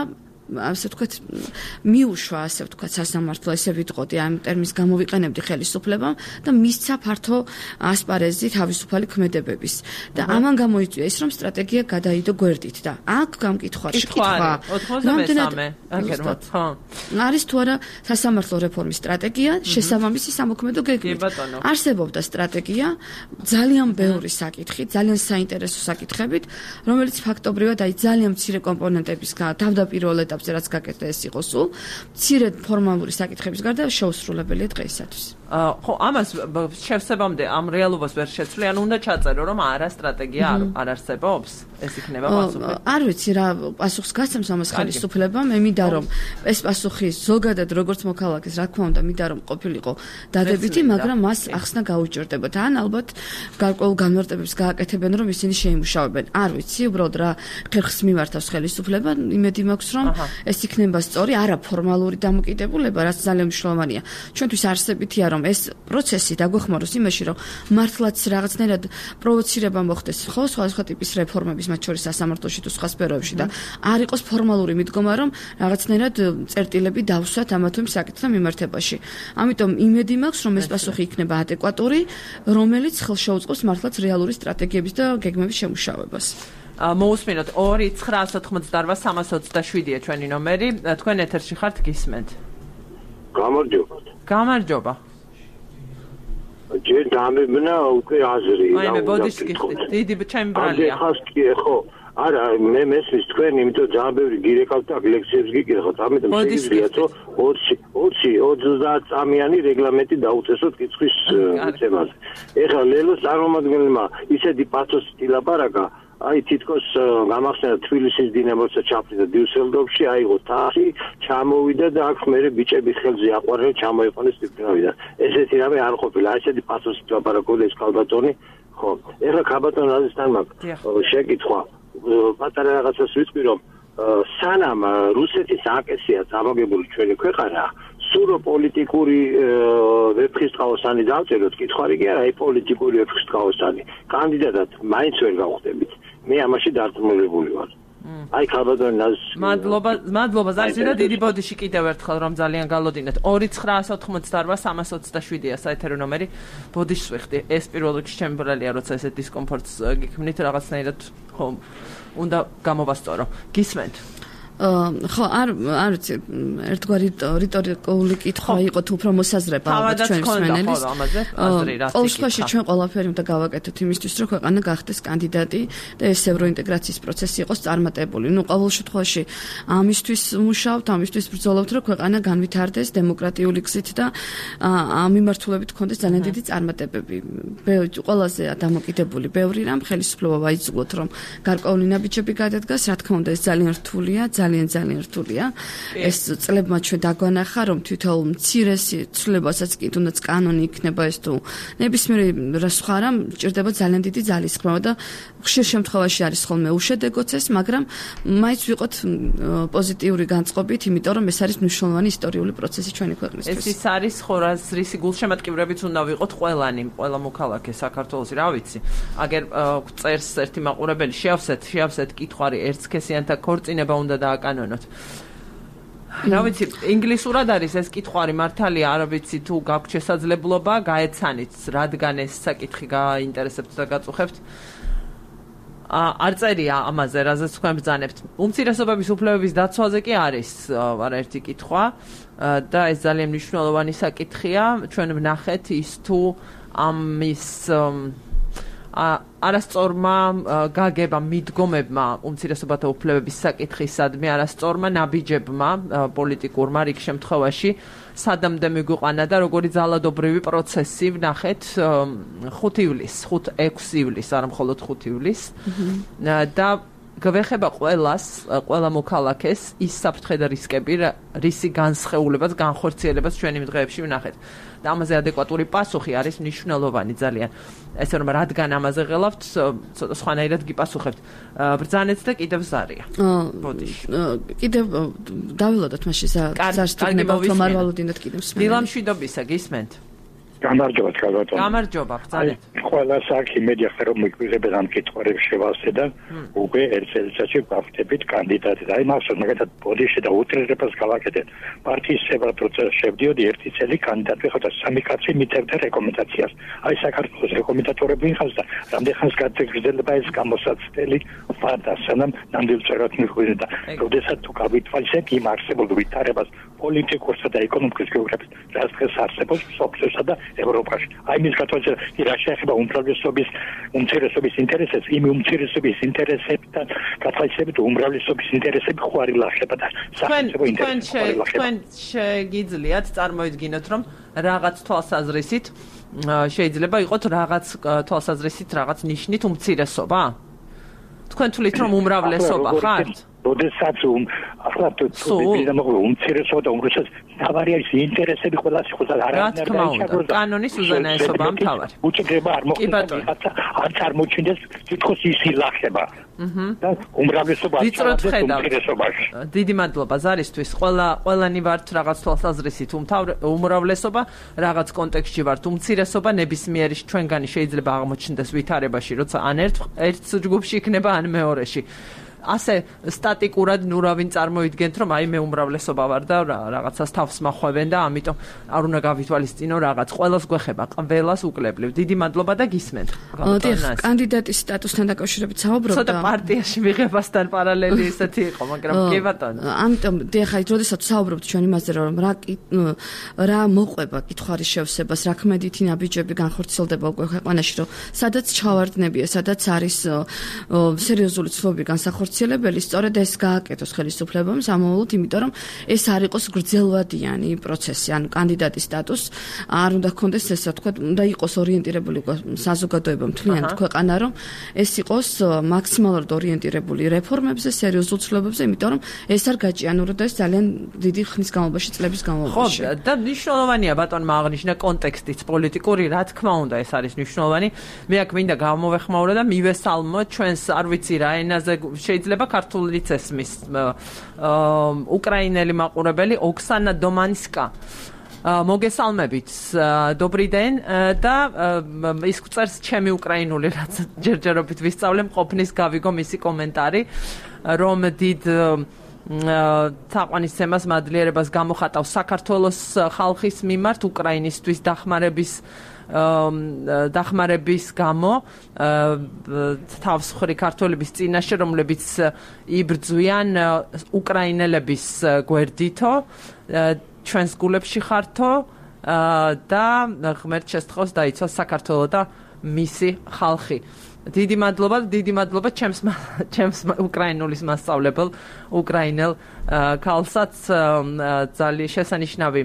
ასე ვთქვათ მიუშვა ასე ვთქვათ სასამართლო, ესე ვიტყოდი ამ ტერმინს გამოვიყენებდი ხელისუფლებამ და მისცა ფართო ასპარეზი თავისუფალი ქმედებების და ამან გამოიწვია ის რომ სტრატეგია გადაიდო გვერდით და აქ გამკითხვაში კითხვა ოცდამესამე აგერმოთ ხო არის თუ არა სასამართლო რეფორმის სტრატეგია შესაბამისი სამოქმედო გეგმით არსებობდა სტრატეგია ძალიან ბევრი საკითხი ძალიან საინტერესო საკითხებით რომელიც ფაქტობრივად აი ძალიან მცირე კომპონენტების თავდაპირველ რაც გაკეთდა ეს იყო სულ მცირე ფორმალური საკითხების გარდა შეუსრულებელია დღეისათვის. ხო, ამას შევსებამდე ამ რეალობას ვერ შეცვლი, ანუ უნდა ჩაწერო რომ არა სტრატეგია არ არსებობს, ეს იქნება პასუხი. არ ვიცი რა პასუხს გასცემს ამას ხელისუფლება, მე მინდა რომ ეს პასუხი ზოგადად როგორც მოქალაქეს, რა თქმა უნდა, მინდა რომ ყოფილიყო დადებითი, მაგრამ მას ახსნა გაუჭირდებათ. ან ალბათ გარკვეულ განმარტებებს გააკეთებენ, რომ ისინი შეიმუშავებენ. არ ვიცი, უბრალოდ რა ხერხს მიმართავს ხელისუფლება, იმედი მაქვს რომ ეს იქნება სწორი, არა ფორმალური დამოკიდებულება, რაც ძალიან მნიშვნელოვანია. ჩვენთვის არსებითია რომ ეს პროცესი დაგვეხმაროს იმაში, რომ მართლაც რაღაცნაირად პროვოცირება მოხდეს, ხო, სხვადასხვა ტიპის რეფორმების, მათ შორის სასამართლოში თუ სხვა სფეროებში და არ იყოს ფორმალური მიდგომა, რომ რაღაცნაირად წერტილები დავსვათ ამა თუ იმ საკითხთან მიმართებაში. ამიტომ იმედი მაქვს, რომ ეს პასუხი იქნება ადეკვატური, რომელიც ხელშეუწყობს მართლაც რეალური სტრატეგიების და გეგმების შემუშავებას. მოусმინოთ ორი ცხრაას ოთხმოცდაოთხ სამას ოცდაშვიდია ჩვენი ნომერი. თქვენ ეთერში ხართ, გისმენთ. გამარჯობა. გამარჯობა. ჯერ დამებნა უკვე აზრი. აი მე ბოდიში გიხდით. დიდი ჩემი ბრალია. ახლა კი ხო. არა, მე მესმის თქვენ, იმიტომ ძალიან ბევრი გირეკავთ და ლექციებს გიგიხოთ. ამიტომ შეიძლება რომ ოცი ოცი ოცდაათ წამიანი რეგლამენტი დაუწესოთ კითხვის თემაზე. ეხლა ლელოს წარმომადგენელმა ისეთი პათოსით ილაპარაკა აი თითქოს გამახსენდა თბილისის დინამოცა ჩაფრიდა დიუსელდორფში, აიღო თასი, ჩამოვიდა და აქ მერე ბიჭების ხელზე აყვარენ ჩამოიყვანეს ტიპნავიდან. ესეთი რამე არ ყოფილა, ესეთი პათოსით ლაპარაკობდა ეს ქალბატონი. ხო, ეხლა ქალბატონ რაზესთან მაქვს შეკითხვა. პატარა რაღაცას ვიტყვი რომ სანამ რუსეთის აკესია წამოგებული ჩვენი ქვეყანა სურო პოლიტიკური ვეფხისტყაოსანი დავწეროთ, კითხარი კი არა, აი პოლიტიკური ვეფხისტყაოსანი. კანდიდატად მაინც ვერ გავხდებით. მე ამაში დარწმუნებული ვარ. აი ქალბატონი მადლობა, მადლობა ზარზირა დიდი ბოდიში კიდევ ერთხელ რომ ძალიან გალოდინეთ. ორი ცხრაას ოთხმოცდაოთხ სამას ოცდაშვიდია საეთერო ნომერი. ბოდიშს ვიხდი. ეს პირველ რიგში ჩემი ბრალია, როცა ესეთ დისკომფორტს გიქმნით რაღაცნაირად ხო უნდა გამოვასწორო. გისმენთ. ხო, არ არ ვიცი, ერთგვარი რიტორიკული კითხვა იყო თუ უფრო მოსაზრება ალბათ ჩვენი მსმენელის. ყოველ შემთხვევაში ჩვენ ყველაფერი უნდა გავაკეთოთ იმისთვის, რომ ქვეყანა გახდეს კანდიდატი და ეს ევროინტეგრაციის პროცესი იყოს წარმატებული. ნუ ყოველ შემთხვევაში ამისთვის მუშაობთ, ამისთვის ბრძოლობთ, რომ ქვეყანა განვითარდეს დემოკრატიული გზით და ამ მიმართულებით გქონდეს ძალიან დიდი წარმატებები. ყველაზე დამოკიდებული ბევრი რამ ხელისუფლება ვაიძულოთ, რომ გარკვეული ნაბიჯები გადადგას, რა თქმა უნდა, ეს ძალიან რთულია, ძალიან ძალიან რთულია. ეს წლებმა ჩვენ დაგვანახა, რომ თვითონ მცირესი ცვლილებასაც კი თუნდაც კანონი იქნება ეს თუ ნებისმიერ სხვა რამ ჭირდება ძალიან დიდი ძალისხმევა და ხშირ შემთხვევაში არის ხოლმე უშედეგოც ეს, მაგრამ მაინც ვიყოთ პოზიტიური განწყობით, იმიტომ რომ ეს არის მნიშვნელოვანი ისტორიული პროცესი ჩვენი ქვეყნისთვის. ეს ის არის ხო რაც რისი გულშემატკივრებიც უნდა ვიყოთ ყველანი, ყველა მოქალაქე საქართველოსი, რა ვიცი. აგერ წერს ერთი მაყურებელი, შეავსეთ, შეავსეთ კითხვარი ერთსქესიანთა ქორწინება უნდა დააკანონოთ. რა ვიცი, ინგლისურად არის ეს კითხვარი მართალია, არ ვიცი თუ გაქვთ შესაძლებლობა, გაეცანით, რადგან ეს საკითხი გააინტერესებთ და გაწუხებთ. არ წერია ამაზე, რაზეც თქვენ ბრძანებთ. უმცირესობების უფლებების დაცვაზე კი არის არაერთი კითხვა და ეს ძალიან მნიშვნელოვანი საკითხია. ჩვენ ვნახეთ ის თუ ამის არასწორმა გაგება მიდგომებმა უმცირესობათა უფლებების საკითხისადმი, არასწორმა ნაბიჯებმა პოლიტიკურმა რიგ შემთხვევაში სადამდე მიგვიყვანა და როგორი ძალადობრივი პროცესი ვნახეთ ხუთი ივლისს, ექვსი ივლისს, არა მხოლოდ ხუთი ივლისს და გვეხება ყველას, ყველა მოქალაქეს ის საფრთხე და რისკები, რისი განსხეულებაც, განხორციელებაც ჩვენი დღეებში ვნახეთ. და ამაზე ადეკვატური პასუხი არის მნიშვნელოვანი ძალიან. ესე რომ რადგან ამაზე ღელავთ, ცოტა სხვანაირად გიპასუხებთ. ბრძანეთ და კიდევ ზარია. ბოდიში. კიდევ დავილოდოთ მაშინ ზარს თქნება რომ არ ვალოდინოთ კიდევ მსმენელი. დილამშვიდობისა გისმენთ? გამარჯობა თქვენ. გამარჯობა, ბრძანეთ. ყველა საკი მედია ხერო მიგვიღებენ ამ კითხვებს შევასე და უკვე ერთ წელიწადში გავხდებით კანდიდატი. აი მასო მაგათად ბოდიში და უტრირებას გავაკეთეთ. პარტიის შებრალ პროცესში შევდიოდი ერთი წელი კანდიდატი ხარ და სამი კაცი მიტევდა რეკომენდაციას. აი საქართველოს რეკომენდატორები ხარ და რამდენხანს გაგრძელდება ეს გამოსაცდელი ფარდა სანამ ნამდვილ წერად მიხვიდე და როდესაც თუ გავითვალისებ იმ არსებულ ვითარებას პოლიტიკურსა და ეკონომიკის გეოგრაფიის რაც დღეს არსებობს სოფლიოსა და ევროპაში. აი მის გათვალისწინებაში რა შეეხება უმრავლესობის უმცირესობის ინტერესებს, იმ უმცირესობის ინტერესებთან გათვალისწინებით უმრავლესობის ინტერესები ხوارი ლახება და სახელმწიფო ინტერესები. თქვენ შეგიძლიათ წარმოიდგინოთ, რომ რაღაც თვალსაზრისით შეიძლება იყოს რაღაც თვალსაზრისით რაღაც ნიშნით უმცირესობა? თქვენ თვლით რომ უმრავლესობა ხართ? როდესაც ახლა თუ უმცირესობა და უმრავლესობა თავარი არის ინტერესები ყველას ხო და არ არის რა კანონის უზენაესობა მთავარი. უჭირდება არ მოხდება არ წარმოჩინდეს თითქოს ის ილახება. და უმრავლესობა უმცირესობაში. დიდი მადლობა ზარისთვის. ყველა ყველანი ვართ რაღაც თვალსაზრისით უმრავლესობა, რაღაც კონტექსტში ვართ უმცირესობა, ნებისმიერი ჩვენგანი შეიძლება აღმოჩნდეს ვითარებაში, როცა ან ერთ ერთ ჯგუფში იქნება, ან მეორეში. ასე სტატიკურად ნუ რა ვინ წარმოიდგენთ რომ აი მე უმრავლესობა ვარ და რაღაცას თავს მახვევენ და ამიტომ არ უნდა გავითვალისწინო რაღაც ყველას გვეხება ყველას უკლებლივ. დიდი მადლობა და გისმენთ. დიახ, კანდიდატის სტატუსთან დაკავშირებით საუბრობ და ცოტა პარტიაში მიღებასთან პარალელი ისეთი იყო, მაგრამ კი ბატონო. ამიტომ დიახ, აი როდესაც საუბრობთ ჩვენ იმაზე რომ რა რა მოყვება კითხვის შევსებას, რა ქმედითი ნაბიჯები განხორციელდება უკვე ქვეყანაში, რომ სადაც ჩავარდნებია, სადაც არის სერიოზული ცვლილები განსახორციელებელი ხორციელებელი სწორედ ეს გააკეთოს ხელისუფლებამ სამოვალოდ, იმიტომ რომ ეს არ იყოს გრძელვადიანი პროცესი, ანუ კანდიდატის სტატუსს არ უნდა ჰქონდეს, ესე ვთქვათ, უნდა იყოს ორიენტირებული საზოგადოება მთლიანად ქვეყანა, რომ ეს იყოს მაქსიმალურად ორიენტირებული რეფორმებზე, სერიოზულ ცვლილებებზე, იმიტომ რომ ეს არ გაჭიანურდა და ეს ძალიან დიდი ხნის განმავლობაში, წლების განმავლობაში. ხო, და მნიშვნელოვანია ბატონმა აღნიშნა კონტექსტიც პოლიტიკური, რა თქმა უნდა, ეს არის მნიშვნელოვანი. მე აქ მინდა გამოვეხმაურო და მივესალმო ჩვენს არ ვიცი რა ენაზე შეიძლება ქართულიც ესმის უკრაინელი მაყურებელი ოქსანა დომანსკა. მოგესალმებით, добрый день და ის წერს ჩემი უკრაინული რაც ჯერჯერობით ვისწავლე, მყოფნის გავიგო მისი კომენტარი, რომ დიდ თაყვანისცემას მადლიერებას გამოხატავს საქართველოს ხალხის მიმართ უკრაინისტვის დახმარების დახმარების გამო თავსხრი ქართველების წინაშე, რომლებიც იბრძვიან უკრაინელების გვერდითო, ჩვენს გულებში ხართო და ღმერთ შესთხოვს დაიცვას საქართველო და მისი ხალხი. დიდი მადლობა, დიდი მადლობა ჩემს ჩემს უკრაინულის მასწავლებელ უკრაინელ ქალსაც ძალიან შესანიშნავი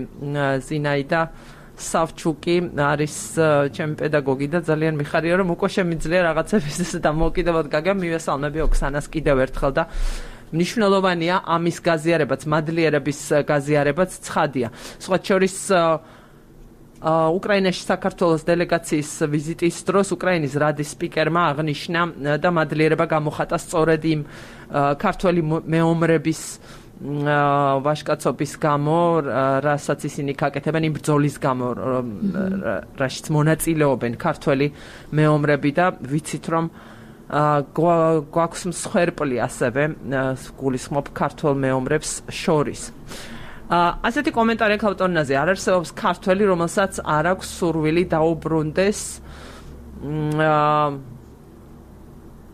ზინაიდა სავჩუკი არის ჩემი პედაგოგი და ძალიან მიხარია რომ უკვე შემიძლია რაღაცების დამოუკიდებლად გაგებ მივესალმები ოქსანას კიდევ ერთხელ და მნიშვნელოვანია ამის გაზიარებაც, მადლიერების გაზიარებაც ცხადია. სხვა შორის უკრაინაში საქართველოს დელეგაციის ვიზიტის დროს უკრაინის რადის სპიკერმა აღნიშნა და მადლიერება გამოხატა სწორედ იმ ქართველი მეომრების ვაჟკაცობის გამო, რასაც ისინი გაკეთებენ იმ ბრძოლის გამო, რაშიც მონაწილეობენ ქართველი მეომრები და ვიცით რომ გვაქვს მსხვერპლი ასევე გულისხმობ ქართველ მეომრებს შორის. ასეთი კომენტარი ქავტონაზე არ არსებობს ქართველი, რომელსაც არ აქვს სურვილი დაუბრუნდეს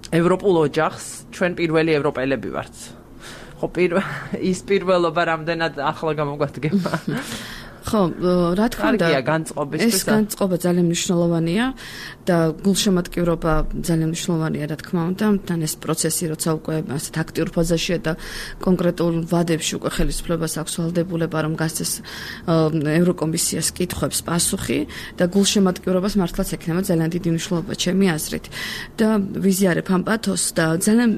ევროპულ ოჯახს, ჩვენ პირველი ევროპელები ვართ. ხო, ის პირველობა რამდენად ახლა გამოგვადგება. ხო, რა თქმა უნდა, ეს განწყობა ძალიან მნიშვნელოვანია და გულშემატკივრობა ძალიან მნიშვნელოვანია, რა თქმა უნდა, თან ეს პროცესი, როცა უკვე ასეთ აქტიურ ფაზაშია და კონკრეტულ ვადებში უკვე ხელისუფლებას აქვს ვალდებულება, რომ გასცეს ევროკომისიას კითხვებს პასუხი და გულშემატკივრობას მართლაც ექნება ძალიან დიდი მნიშვნელობა ჩემი აზრით. და ვიზიარებ ამ პათოსს და ძალიან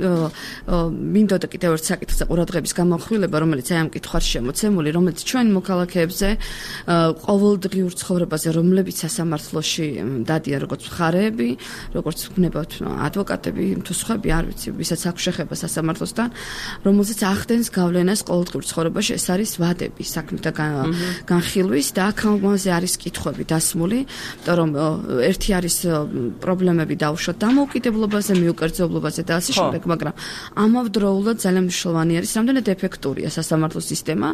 მინდოდა კიდევ ერთ საკითხზე ყურადღების გამახვილება, რომელიც აი ამ კითხვაში შემოცემული, რომელიც ჩვენ მოქალაქეებზე ყოველდღიურ ცხოვრებაზე, რომლებიც სასამართლოში დადიან როგორც მხარეები, როგორც ვქნებათ ადვოკატები, თუ სხვები, არ ვიცი, ვისაც აქვს შეხება სასამართლოსთან, რომელზეც ახდენს გავლენას ყოველდღიურ ცხოვრებაში, ეს არის ვადები, საქმეთა განხილვის და აქამდე არის კითხვები დასმული, იმიტომ რომ ერთი არის პრობლემები დაუშვათ დამოუკიდებლობაზე, მიუკერძებლობაზე და ასე შემდეგ, მაგრამ ამავდროულად ძალიან მნიშვნელოვანი არის, რამდენად ეფექტურია სასამართლო სისტემა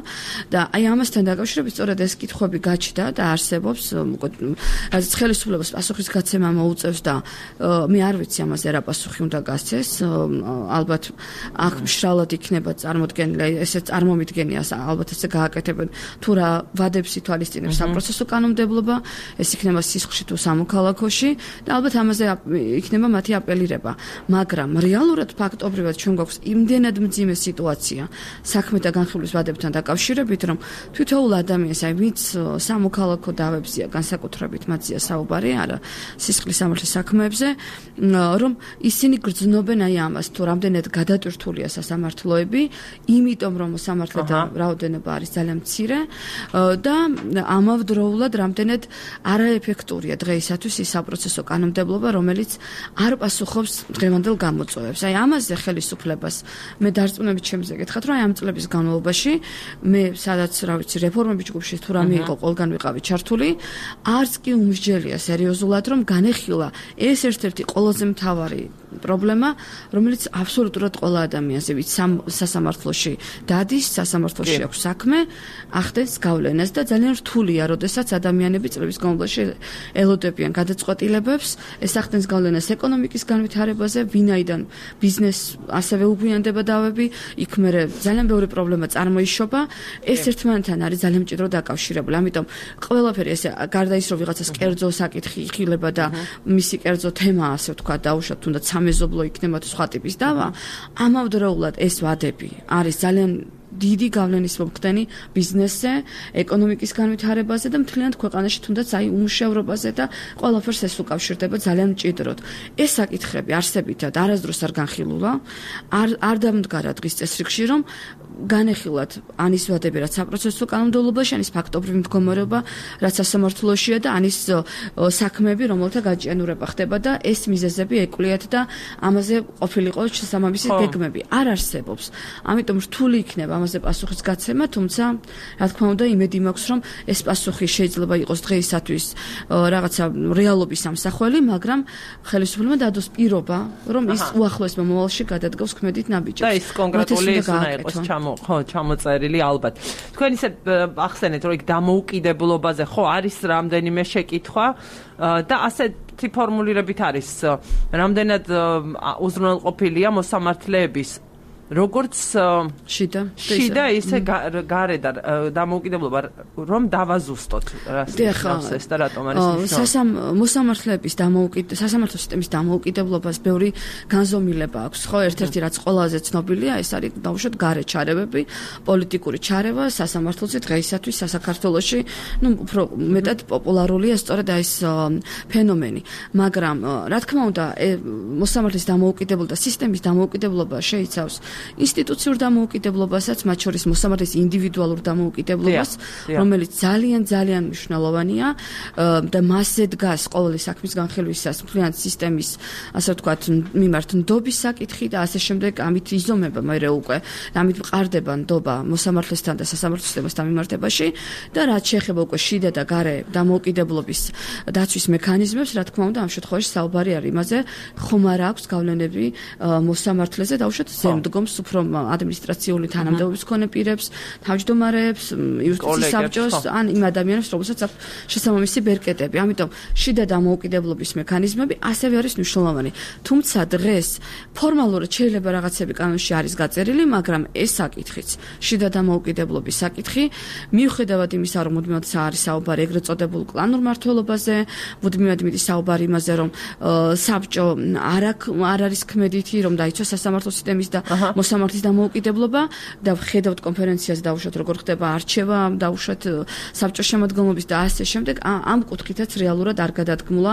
და აი ამასთან დაკავშირებით სწორედ ეს კითხვები გაჩნდა და არსებობს, რაც ხელისუფლებას პასუხისგაცემა მოუწევს და მე არ ვიცი ამაზე რა პასუხი უნდა გასცეს. ალბათ აქ მშრალად იქნება წარმოდგენილი, ესე წარმომიდგენია, ალბათ ესე გააკეთებენ თუ რა ვადებს ითვალისწინებს საპროცესო კანონმდებლობა, ეს იქნება სისხლში თუ სამოქალაქოში და ალბათ ამაზე იქნება მათი აპელირება. მაგრამ რეალურად ფაქტობრივად ჩვენ გვაქვს იმდენად მძიმე სიტუაცია საქმეთა განხილვის ვადებთან დაკავშირებით, რომ თითოეულ ადამიანს აი ვინც სამოქალაქო დავებზია განსაკუთრებით მათზეა საუბარი, არა სისხლის სამართლის საქმეებზე, რომ ისინი გრძნობენ აი ამას, თუ რამდენად გადატვირთულია სასამართლოები, იმიტომ რომ სამართლეთა რაოდენობა არის ძალიან მცირე და ამავდროულად რამდენად არაეფექტურია დღეისათვის ის საპროცესო კანონმდებლობა, რომელიც არ პასუხობს დღევანდელ გამოწვევებს. აი ამაზე ხელისუფლებას მე დარწმუნებით შემიძლია გითხრათ, რომ აი ამ წლების განმავლობაში მე სადაც რა ვიცი რეფორმების ჯგუფში თუ რამე იყო ყველგან ვიყავი ჩართული, არც კი უმსჯელია სერიოზულად, რომ განეხილა ეს ერთ-ერთი ყველაზე მთავარი პრობლემა, რომელიც აბსოლუტურად ყველა ადამიანს, ვიც სასამართლოში დადის, სასამართლოში აქვს საქმე, ახდენს გავლენას და ძალიან რთულია, როდესაც ადამიანები წლების განმავლობაში ელოდებიან გადაწყვეტილებებს, ეს ახდენს გავლენას ეკონომიკის განვითარებაზე, ვინაიდან ბიზნეს ასევე უგვიანდება დავები, იქ მერე ძალიან ბევრი პრობლემა წარმოიშობა, ეს ერთმანეთთან არის ძალიან მჭიდრო დაკავშირებული. ამიტომ ყველაფერი ესე გარდა ის რომ ვიღაცას კერძო საკითხი იხილება და მისი კერძო თემა ასე ვთქვა დაუშვათ თუნდაც სამეზობლო იქნება თუ სხვა ტიპის დავა, ამავდროულად ეს ვადები არის ძალიან დიდი გავლენის მომხდენი ბიზნესზე, ეკონომიკის განვითარებაზე და მთლიანად ქვეყანაში თუნდაც აი უმუშევრობაზე და ყველაფერს ეს უკავშირდება ძალიან მჭიდროდ. ეს საკითხები არსებითად არასდროს არ განხილულა, არ არ დამდგარა დღის წესრიგში, რომ განეხილათ ანის ვადები, რაც საპროცესო კანონმდებლობაში, ანის ფაქტობრივი მდგომარეობა, რაც სასამართლოშია და ანის საქმეები, რომელთა გაჭიანურება ხდება და ეს მიზეზები ეკლიათ და ამაზე ყოფილიყო შესაბამისი გეგმები. არ არსებობს. ამიტომ რთული იქნება ამაზე პასუხის გაცემა, თუმცა რა თქმა უნდა იმედი მაქვს, რომ ეს პასუხი შეიძლება იყოს დღეისათვის რაღაცა რეალობის ამსახველი, მაგრამ ხელისუფლებამ დადოს პირობა, რომ ის უახლოეს მომავალში გადადგოს ქმედით ნაბიჯებს. და ის კონკრეტული ის უნდა იყოს ჩამო, ხო, ჩამოწერილი ალბათ. თქვენ ისე ახსენეთ, რომ იქ დამოუკიდებლობაზე ხო არის რამდენიმე შეკითხვა და ასეთი ფორმულირებით არის რამდენად უზრუნველყოფილია მოსამართლეების როგორც შიდა შიდა ისე გარე და დამოუკიდებლობა რომ დავაზუსტოთ რას ეს და რატომ არის მნიშვნელოვანი მოსამართლეების დამოუკიდებლობა სასამართლო სისტემის დამოუკიდებლობას ბევრი განზომილება აქვს ხო ერთ-ერთი რაც ყველაზე ცნობილია ეს არის დაუშვათ გარე ჩარევები პოლიტიკური ჩარევა სასამართლოზე დღეისათვის საქართველოში ნუ უფრო მეტად პოპულარულია სწორედ ეს ფენომენი მაგრამ რა თქმა უნდა მოსამართლის დამოუკიდებლობა და სისტემის დამოუკიდებლობა შეიცავს ინსტიტუციურ დამოუკიდებლობასაც, მათ შორის მოსამართლის ინდივიდუალურ დამოუკიდებლობას, რომელიც ძალიან ძალიან მნიშვნელოვანია და მასზე დგას ყოველი საქმის განხილვისას მთლიანი სისტემის, ასე ვთქვათ, მიმართ ნდობის საკითხი და ასე შემდეგ, ამით იზომება მერე უკვე, ამით მყარდება ნდობა მოსამართლესთან და სასამართლო სისტემასთან მიმართებაში და რაც შეეხება უკვე შიდა და გარე დამოუკიდებლობის დაცვის მექანიზმებს, რა თქმა უნდა, ამ შემთხვევაში საუბარი არის იმაზე, ხომ არ აქვს გავლენები მოსამართლეზე და უშუალოდ ზემდგომ უფრო ადმინისტრაციული თანამდებობის მქონე პირებს, თავმჯდომარეებს, იუსტიციის საბჭოს, ან იმ ადამიანებს, რომელსაც აქვს შესაბამისი ბერკეტები. ამიტომ შიდა დამოუკიდებლობის მექანიზმები ასევე არის მნიშვნელოვანი. თუმცა დღეს ფორმალურად შეიძლება რაღაცები კანონში არის გაწერილი, მაგრამ ეს საკითხიც, შიდა დამოუკიდებლობის საკითხი, მიუხედავად იმისა, რომ მუდმივად არის საუბარი ეგრეთ წოდებულ კლანურ მმართველობაზე, მუდმივად მიდის საუბარი იმაზე, რომ საბჭო არ არ არის ქმედითი, რომ დაიცვა სასამართლო სისტემის და მოსამართლის დამოუკიდებლობა და ხედავთ კონფერენციაზე დაუშვათ როგორ ხდება არჩევა, დაუშვათ საბჭოს შემადგენლობის და ასე შემდეგ, ამ კუთხითაც რეალურად არ გადადგმულა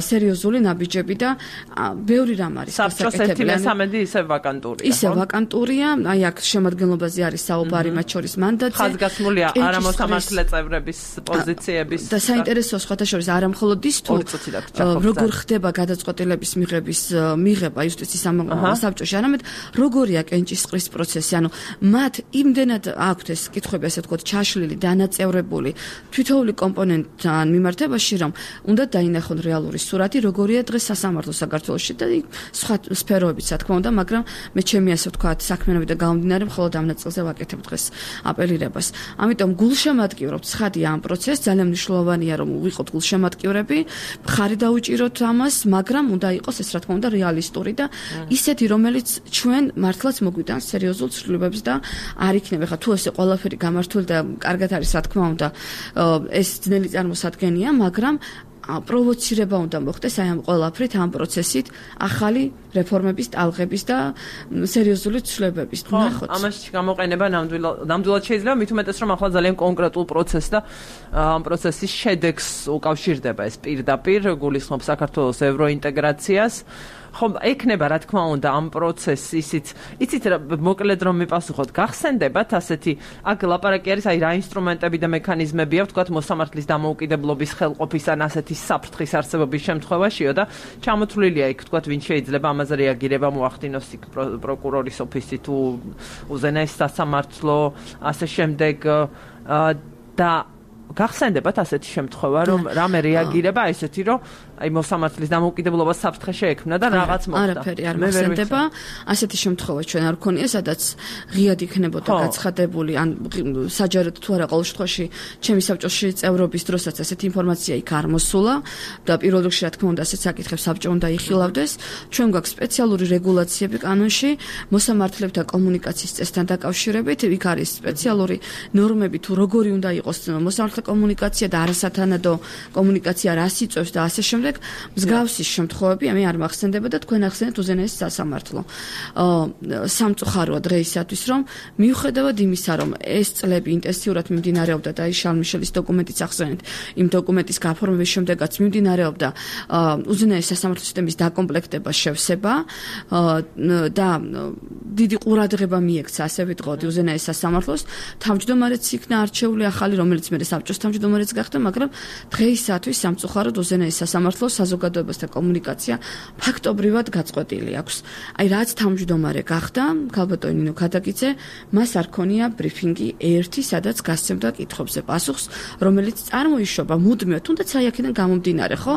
სერიოზული ნაბიჯები და ბევრი რამ არის საბჭოს ერთი მესამედი ისე ვაკანტურია. ისე ვაკანტურია, აი აქ შემადგენლობაზე არის საუბარი, მათ შორის მანდატზე. ხაზგასმულია არამოსამართლე წევრების პოზიციების და საინტერესოა სხვათა შორის არა მხოლოდ ის თუ როგორ ხდება გადაწყვეტილების მიღების მიღება იუსტიციის საბჭოში, არამედ როგორია კენჭისყრის პროცესი, ანუ მათ იმდენად აქვთ ეს კითხვები, ასე ვთქვათ, ჩაშლილი, დანაწევრებული თითოეული კომპონენტთან მიმართებაში, რომ უნდა დაინახონ რეალური სურათი, როგორია დღეს სასამართლო საქართველოში და სხვა სფეროებიც, რა თქმა უნდა, მაგრამ მე ჩემი ასე ვთქვათ, საქმიანობი და გამომდინარე მხოლოდ ამ ნაწილზე ვაკეთებ დღეს აპელირებას. ამიტომ გულშემატკივრობთ ცხადია ამ პროცესს, ძალიან მნიშვნელოვანია რომ ვიყოთ გულშემატკივრები, მხარი დაუჭიროთ ამას, მაგრამ უნდა იყოს ეს რა თქმა უნდა რეალისტური და ისეთი, რომელიც ჩვენ მართლაც მოგვიტანს სერიოზულ ცვლილებებს და არ იქნება ხა თუ ესე ყველაფერი გამართული და კარგად არის რა თქმა უნდა ეს ძნელი წარმოსადგენია, მაგრამ პროვოცირება უნდა მოხდეს აი ამ ყველაფრით, ამ პროცესით, ახალი რეფორმების, ტალღების და სერიოზული ცვლილებების. ნახოთ. ამაში გამოყენება ნამდვილად შეიძლება, მით უმეტეს რომ ახლა ძალიან კონკრეტულ პროცესს და ამ პროცესის შედეგს უკავშირდება ეს პირდაპირ, გულისხმობს საქართველოს ევროინტეგრაციას. ხომ ექნება რა თქმა უნდა ამ პროცესს ისიც იცით მოკლედ რომ მიპასუხოთ გახსენდებათ ასეთი აქ ლაპარაკი არის აი რა ინსტრუმენტები და მექანიზმები აქვს თქვათ მოსამართლის დამოუკიდებლობის ხელყოფის ან ასეთი საფრთხის არსებობის შემთხვევაშიო და ჩამოთვლილია იქ თქვათ ვინ შეიძლება ამაზე რეაგირება მოახდინოს იქ პროკურორის ოფისი თუ უზენაეს სასამართლო ასე შემდეგ და გახსენდებათ ასეთი შემთხვევა რომ რამე რეაგირება ესეთი რომ აი მოსამართლის დამოუკიდებლობა საფრთხე შეექმნა და რაღაც მოხდა. არაფერი არ მოხდება. ასეთი შემთხვევა ჩვენ არ გქონია, სადაც ღიად იქნებოდა გაცხადებული ან საჯაროდ თუ არა ყოველ შემთხვევაში ჩემი საბჭოში წევრობის დროსაც ასეთი ინფორმაცია იქ არ მოსულა და პირველ რიგში რა თქმა უნდა ასეთ საკითხებს საბჭო უნდა იხილავდეს. ჩვენ გვაქვს სპეციალური რეგულაციები კანონში მოსამართლებთან კომუნიკაციის წესთან დაკავშირებით, იქ არის სპეციალური ნორმები თუ როგორი უნდა იყოს მოსამართლე კომუნიკაცია და არასათანადო კომუნიკაცია რას იწვევს და ასე შემდეგ. მსგავსი შემთხვევები მე არ მახსენდება და თქვენ ახსენეთ უზენაეს სასამართლო. სამწუხაროა დღეისათვის რომ მიუხედავად იმისა რომ ეს წლები ინტენსიურად მიმდინარეობდა და შარლ მიშელის დოკუმენტიც ახსენეთ იმ დოკუმენტის გაფორმების შემდეგაც მიმდინარეობდა უზენაეს სასამართლო სისტემის დაკომპლექტება, შევსება და დიდი ყურადღება მიექცა, ასე ვიტყოდი, უზენაეს სასამართლოს. თავმჯდომარეც იქნა არჩეული ახალი, რომელიც მე საბჭოს თავმჯდომარეც გახდა, მაგრამ დღეისათვის სამწუხაროდ უზენაეს სასამართლოს საზოგადოებასთან კომუნიკაცია ფაქტობრივად გაწყვეტილი აქვს. აი რაც თავმჯდომარე გახდა, ქალბატონი ნინო ქადაგიძე, მას არ ქონია ბრიფინგი ერთი, სადაც გასცემდა კითხვებზე პასუხს, რომელიც წარმოიშობა მუდმივად, თუნდაც აი აქედან გამომდინარე, ხო?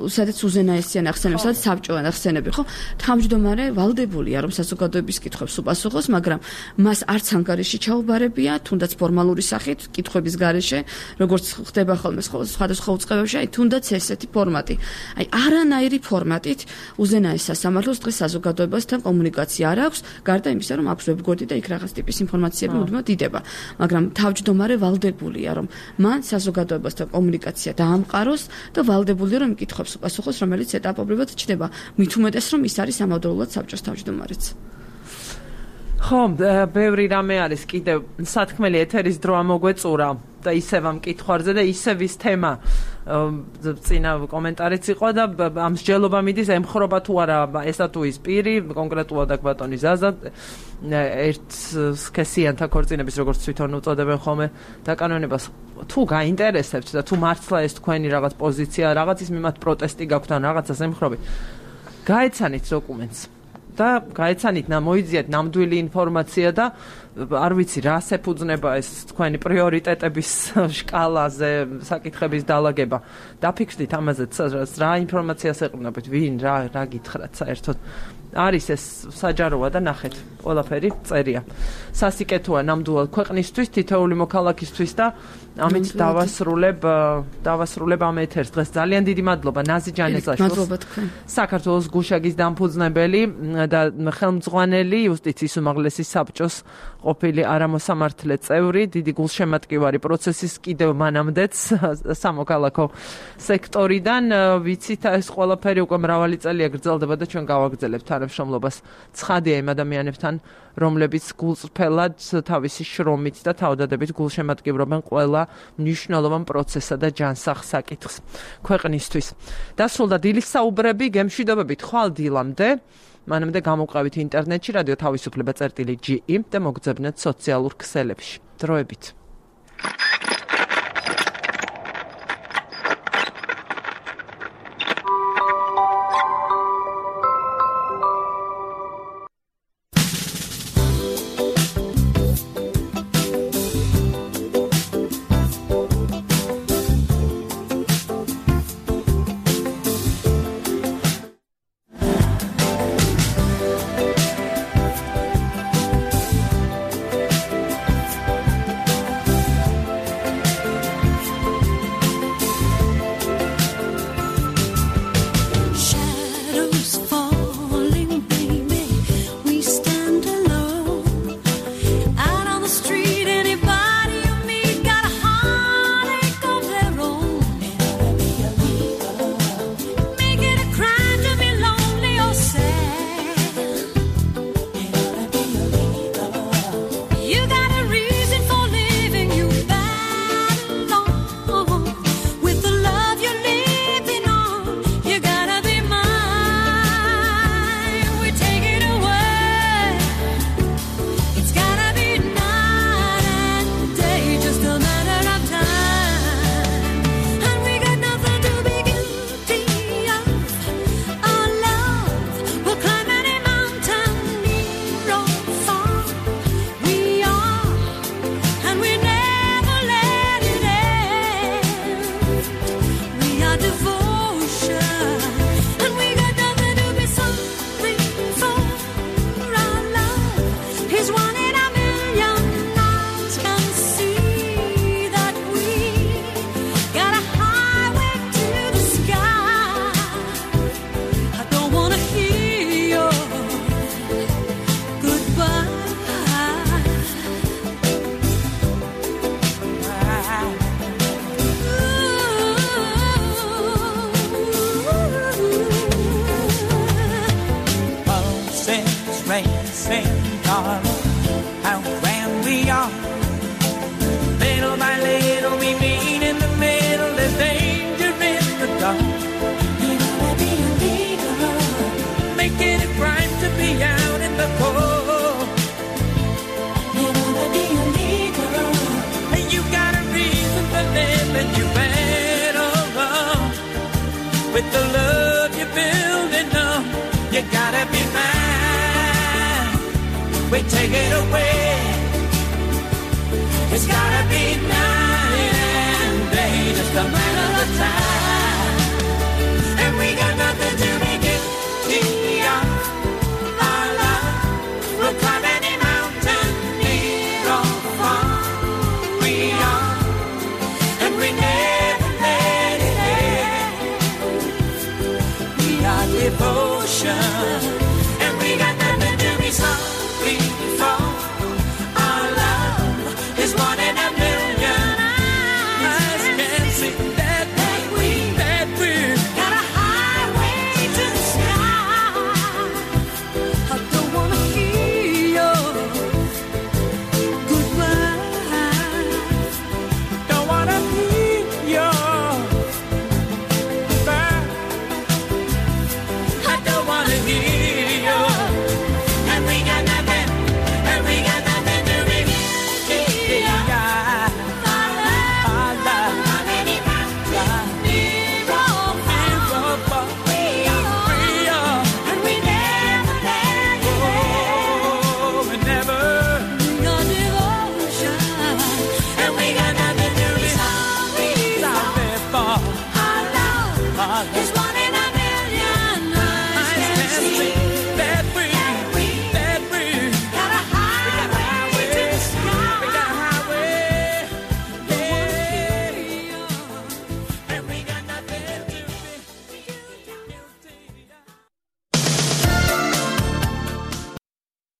სადაც უზენაესიან ახსენებს, სადაც საბჭოა ახსენები, ხო? თავმჯდომარე ვალდებულია, რომ საზოგადოების კითხვებს უპასუხოს, მაგრამ მას არც ანგარიში ჩაუბარებია, თუნდაც ფორმალური სახით, კითხვების გარეშე, როგორც ხდება ხოლმე სხვადასხვა უწყებებში, აი თუნდაც ესეთი ფორმატი. აი არანაირი ფორმატით უზენაეს სასამართლოს დღეს საზოგადოებასთან კომუნიკაცია არ აქვს, გარდა იმისა, რომ აქვს ვებგვერდი და იქ რაღაც ტიპის ინფორმაციები მუდმივად იდება. მაგრამ თავმჯდომარე ვალდებულია, რომ მან საზოგადოებასთან კომუნიკაცია დაამყაროს და ვალდებულია, რომ კითხვებს უპასუხოს, რომელიც ეტაპობრივად ჩნდება. მით უმეტეს, რომ ის არის ამავდროულად საბჭოს თავმჯდომარეც. ხო, ბევრი რამე არის კიდევ სათქმელი ეთერის დრო ამოგვეწურა და ისევ ამ კითხვებზე და ისევ ის თემა წინა კომენტარიც იყო და ამ მსჯელობა მიდის ემხრობა თუ არა ესა თუ ის პირი, კონკრეტულად აქ ბატონი ზაზა ერთ სქესიანთა ქორწინების როგორც თვითონ უწოდებენ ხოლმე დაკანონებას თუ გაინტერესებთ და თუ მართლა ეს თქვენი რაღაც პოზიცია, რაღაც ის მიმართ პროტესტი გაქვთ ან რაღაცას ემხრობთ, გაეცანით დოკუმენტს. და გაეცანით მოიძიეთ ნამდვილი ინფორმაცია და არ ვიცი რა შეფუძნება ეს თქვენი პრიორიტეტების შკალაზე საკითხების დალაგება. დაფიქრდით ამაზე რა ინფორმაციას ეყრდნობთ, ვინ რა რა გითხრათ საერთოდ. არის ეს საჯაროა და ნახეთ, ყველაფერი წერია. სასიკეთოა ნამდვილად ქვეყნისთვის, თითოეული მოქალაქისთვის და ამით დავასრულებ დავასრულებ ამ ეთერს. დღეს ძალიან დიდი მადლობა ნაზი ჯანესაშვილს. მადლობა თქვენ. საქართველოს გუშაგის დამფუძნებელი და ხელმძღვანელი იუსტიციის უმაღლესი საბჭოს ყოფილი არამოსამართლე წევრი, დიდი გულშემატკივარი პროცესის კიდევ მანამდეც სამოქალაქო სექტორიდან. ვიცით, ეს ყველაფერი უკვე მრავალი წელია გრძელდება და ჩვენ გავაგრძელებთ თანამშრომლობას ცხადია იმ ადამიანებთან, რომლებიც გულწრფელად თავისი შრომით და თავდადებით გულშემატკივრობენ ყველა მნიშვნელოვან პროცესსა და ჯანსაღ საკითხს ქვეყნისთვის. დასრულდა დილის საუბრები, გემშვიდობებით ხვალ დილამდე. მანამდე გამოვყავით ინტერნეტში რადიო თავისუფლება წერტილი ჯი ი და მოგძებნეთ სოციალურ ქსელებში. დროებით. Making it right to be out in the cold. we take it away. It's gotta be night and day, just a matter of time.